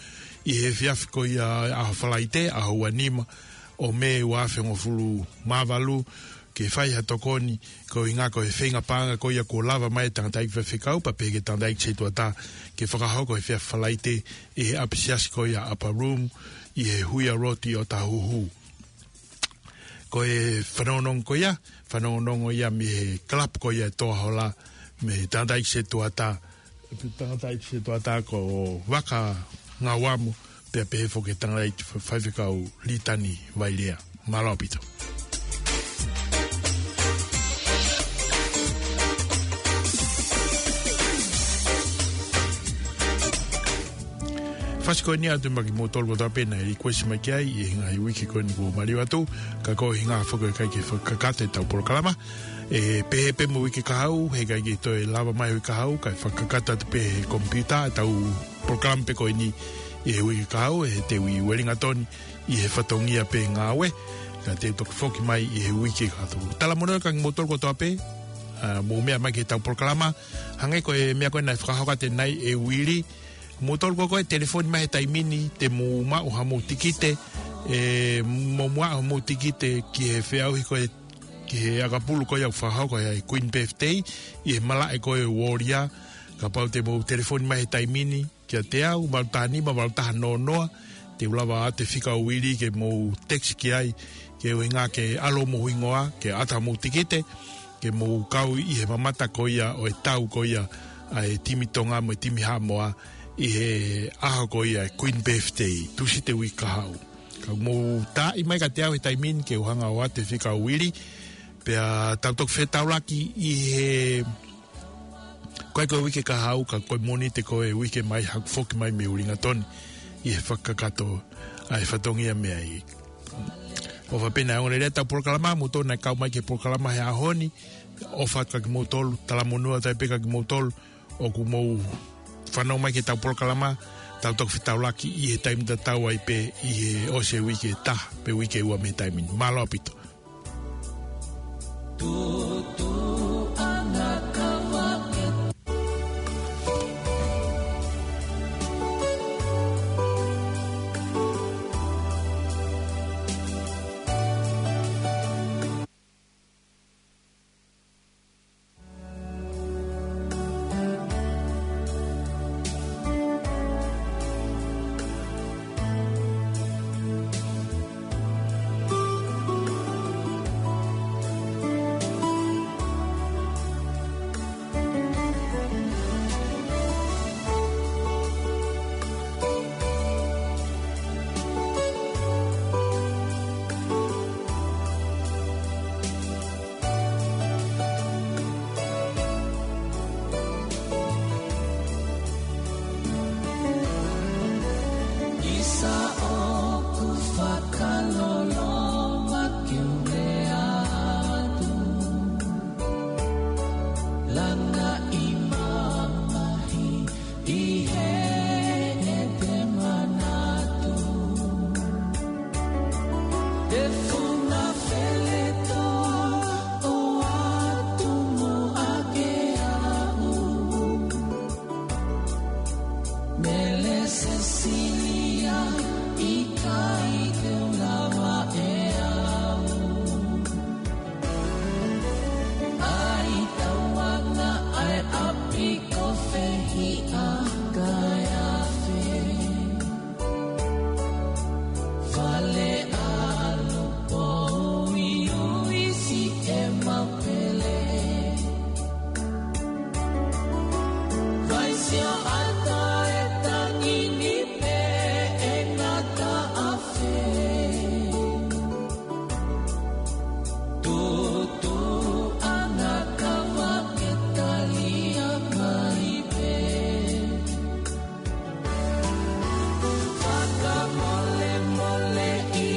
ʻi he efiafi ko ia ʻaho Falaite, ʻaho ua nima ʻo Mē ua afe hongofulu mā valu, ke fai ha tokoni ko e ʻuhinga ko e feinga paʻanga ko ia kuo lava mai e tangataʻeiki faifekau pea pehē ki he tangataʻeiki setuata ke fakahoko he efiafi Falaite ʻi he ʻapisiasi ko ia Upper Room ʻi he Huia Road ʻi ʻOtahuhu. Ko e fanongonongo ko ia, fanongonongo ia mei he kalapu ko ia ʻe Toa Hola, mei he tangataʻeiki setuata, tangataʻeiki setuata ko Vaka Ngauamu, pea pehē foki ki he tangataʻeiki fa-, faifekau Litani Vailea. Mālō ʻaupito. Fasi ko eni atu maʻa kimoutolu kotoa pē naʻe request mai ki ai ʻi he ngaahi uike ko eni kuo maliu atu, ka ko e ʻuhinga foki ʻoku ʻikai ke fakakakato ʻetau polokalama. ʻE pehē pē mo e uike kahaʻu, he ʻikai ke toe lava mai e uike kahaʻu, kae fakakakato atu pē he komipiuta ʻetau polokalama pē ko eni ʻi he uike kahaʻu, he te u ʻi Uelingatoni ʻi he fatongia pē ngāue, ka te u toki foki mai ʻi he uike kahaʻu. Talamonū kia kimoutolu kotoa pē, ʻa, mou meʻa mai ki heʻetau polokalama, hangē ko e meʻa ko ē naʻe fakahoko atu ʻanenai ʻe Uili, kimoutolu ko ē ʻoku telefoni mai he taimi ni, te mou maʻu hamou tikite, ʻe, mou maʻu hamou tikite ki he feʻauhi ko ē, ki he ʻakapulu ko ia ʻoku fakahoko ʻi he Queen Birthday, ʻi he malaʻe ko ē Uolia, kapau te mou telefoni mai he taimi ni, kiate au, valu taha nima, valu taha noa noa, te u lava ʻo ʻoatu e fika ʻo Uili ke mou text ki ai, ke ʻuhinga ke ʻalu homou hingoa, ke ʻoatu hamou tikite, ke mou kau ʻi he mamata ko ia ʻo e tau ko ia ʻa e timi Tonga mo e timi Haʻamoa ʻi he ʻaho ko ia e Queen Birthday, Tūsite uike kahaʻu. Ka mou taaʻi mai kiate au he taimi ni ke u hanga ʻo ʻoatu e fika ʻo Uili, pea tau toki fetaulaki ʻi he, ko e, ko e uike kahaʻu, ka ko e Mōnite ko e uike mai, haʻaku foki mai mei Uelingatoni ʻi he fakakakato ʻa e fatongia meʻa ʻi. ʻOfa pē naʻe ongoongolelei ʻetau polokalama, mou tonu naʻe kau mai ki he polokalama he ʻaho ni, ʻofa kia kimoutolu, talamonū atu ai pē kia kimoutolu ʻoku mou fanongo mai ki heʻetau polokalama, tau toki fetaulaki ʻi he taimi tatau ai pē ʻi he ʻosi e uike ʻe taha, pe uike ʻe ua mei he taimi ni. Mālō ʻaupito. ʻIsa ʻoku fakaloloma ke u lea atu, langa ʻi mamahi ʻi heʻete manatu. Te funa fele toa ʻoatu muʻa ke aʻu. Mele Sesilia, ʻikai te u lava ʻe au. ʻAi tauanga ʻa e ʻapi ko Fehiʻa kae afe. Fale ʻAlo Pouiui, Siʻemau Pele. Vai Sioʻata e tangi ni pē ʻe ngata afe. Tutu ʻa e ngakava ke talia mai pē. Fakamolemoleʻi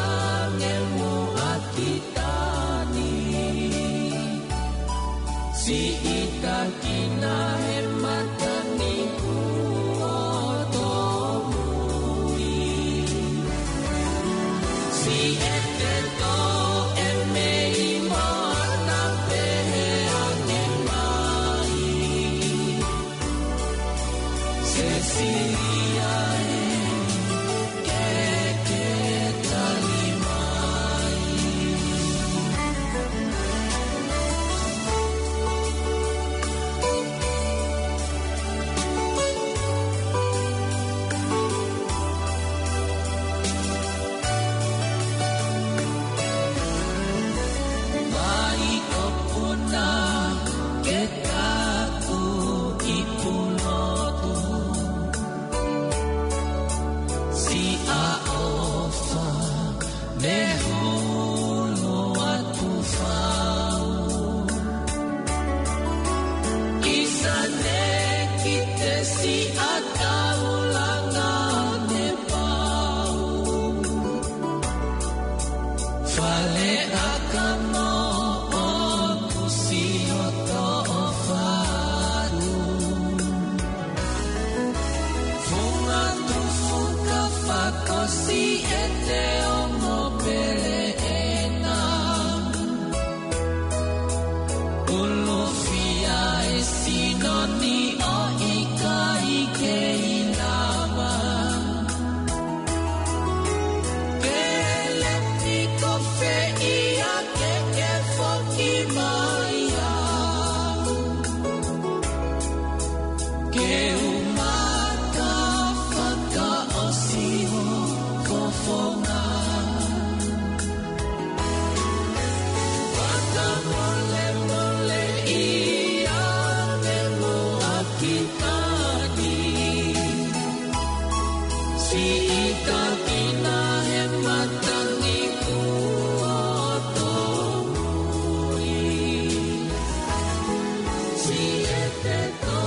ange muʻa ki Tani. Siʻi takina he mataniku ʻo Tomui. Siʻete toʻe mei moana pehē ange mai. Sesilia ē, ke ke tali mai. Vai ʻo Puna ke taku ʻi Pulotu. ʻi ʻete ongo pele ena. Ulufia e sino ni ʻo ʻikai kei lava. Pele piko feia ke ke foki mai au. Ke u mata fakaʻosi hoʻo fofonga. Fakamolemole ia ke muʻaki tani. Siʻi takina he matangi kuo tōmui. Siʻi ʻete tō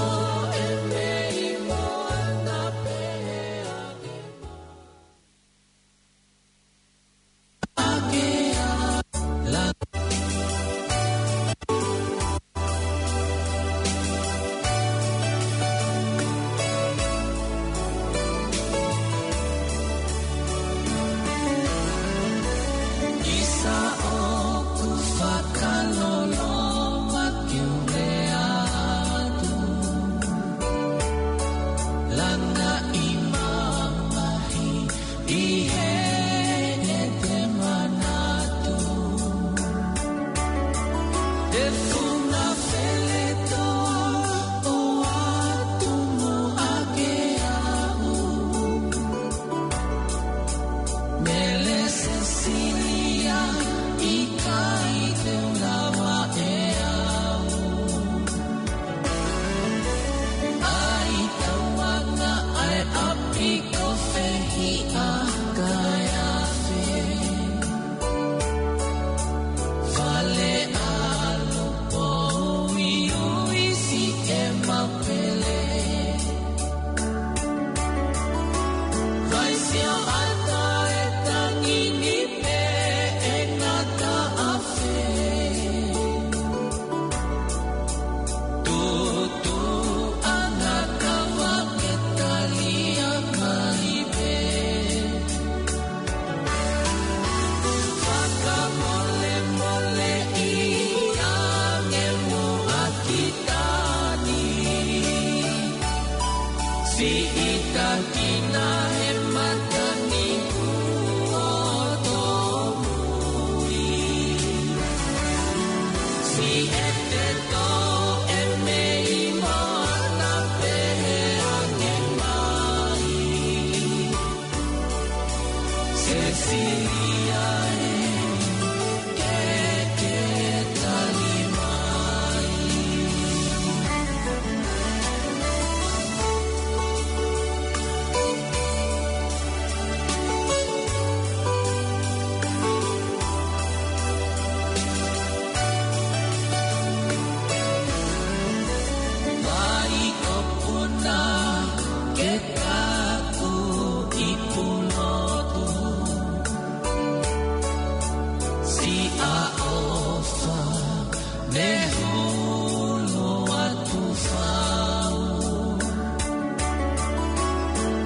e mei moana pehē ake ʻi heʻete manatu. Te funga feleto ʻo atu mo ake au. Mele Sesilia, ʻikai te u lava ʻe au. ʻAi tauanga ʻa e ʻapi ko Fehiʻa kae afe. Fale ʻalo pouiui siʻema pele. Vaisio ʻata e tangi ni pē ʻe ngata afe. Tutu ʻa e ngakau ke talia mai pē. Fakamolemole ia ke muʻaki tani. Siʻi takina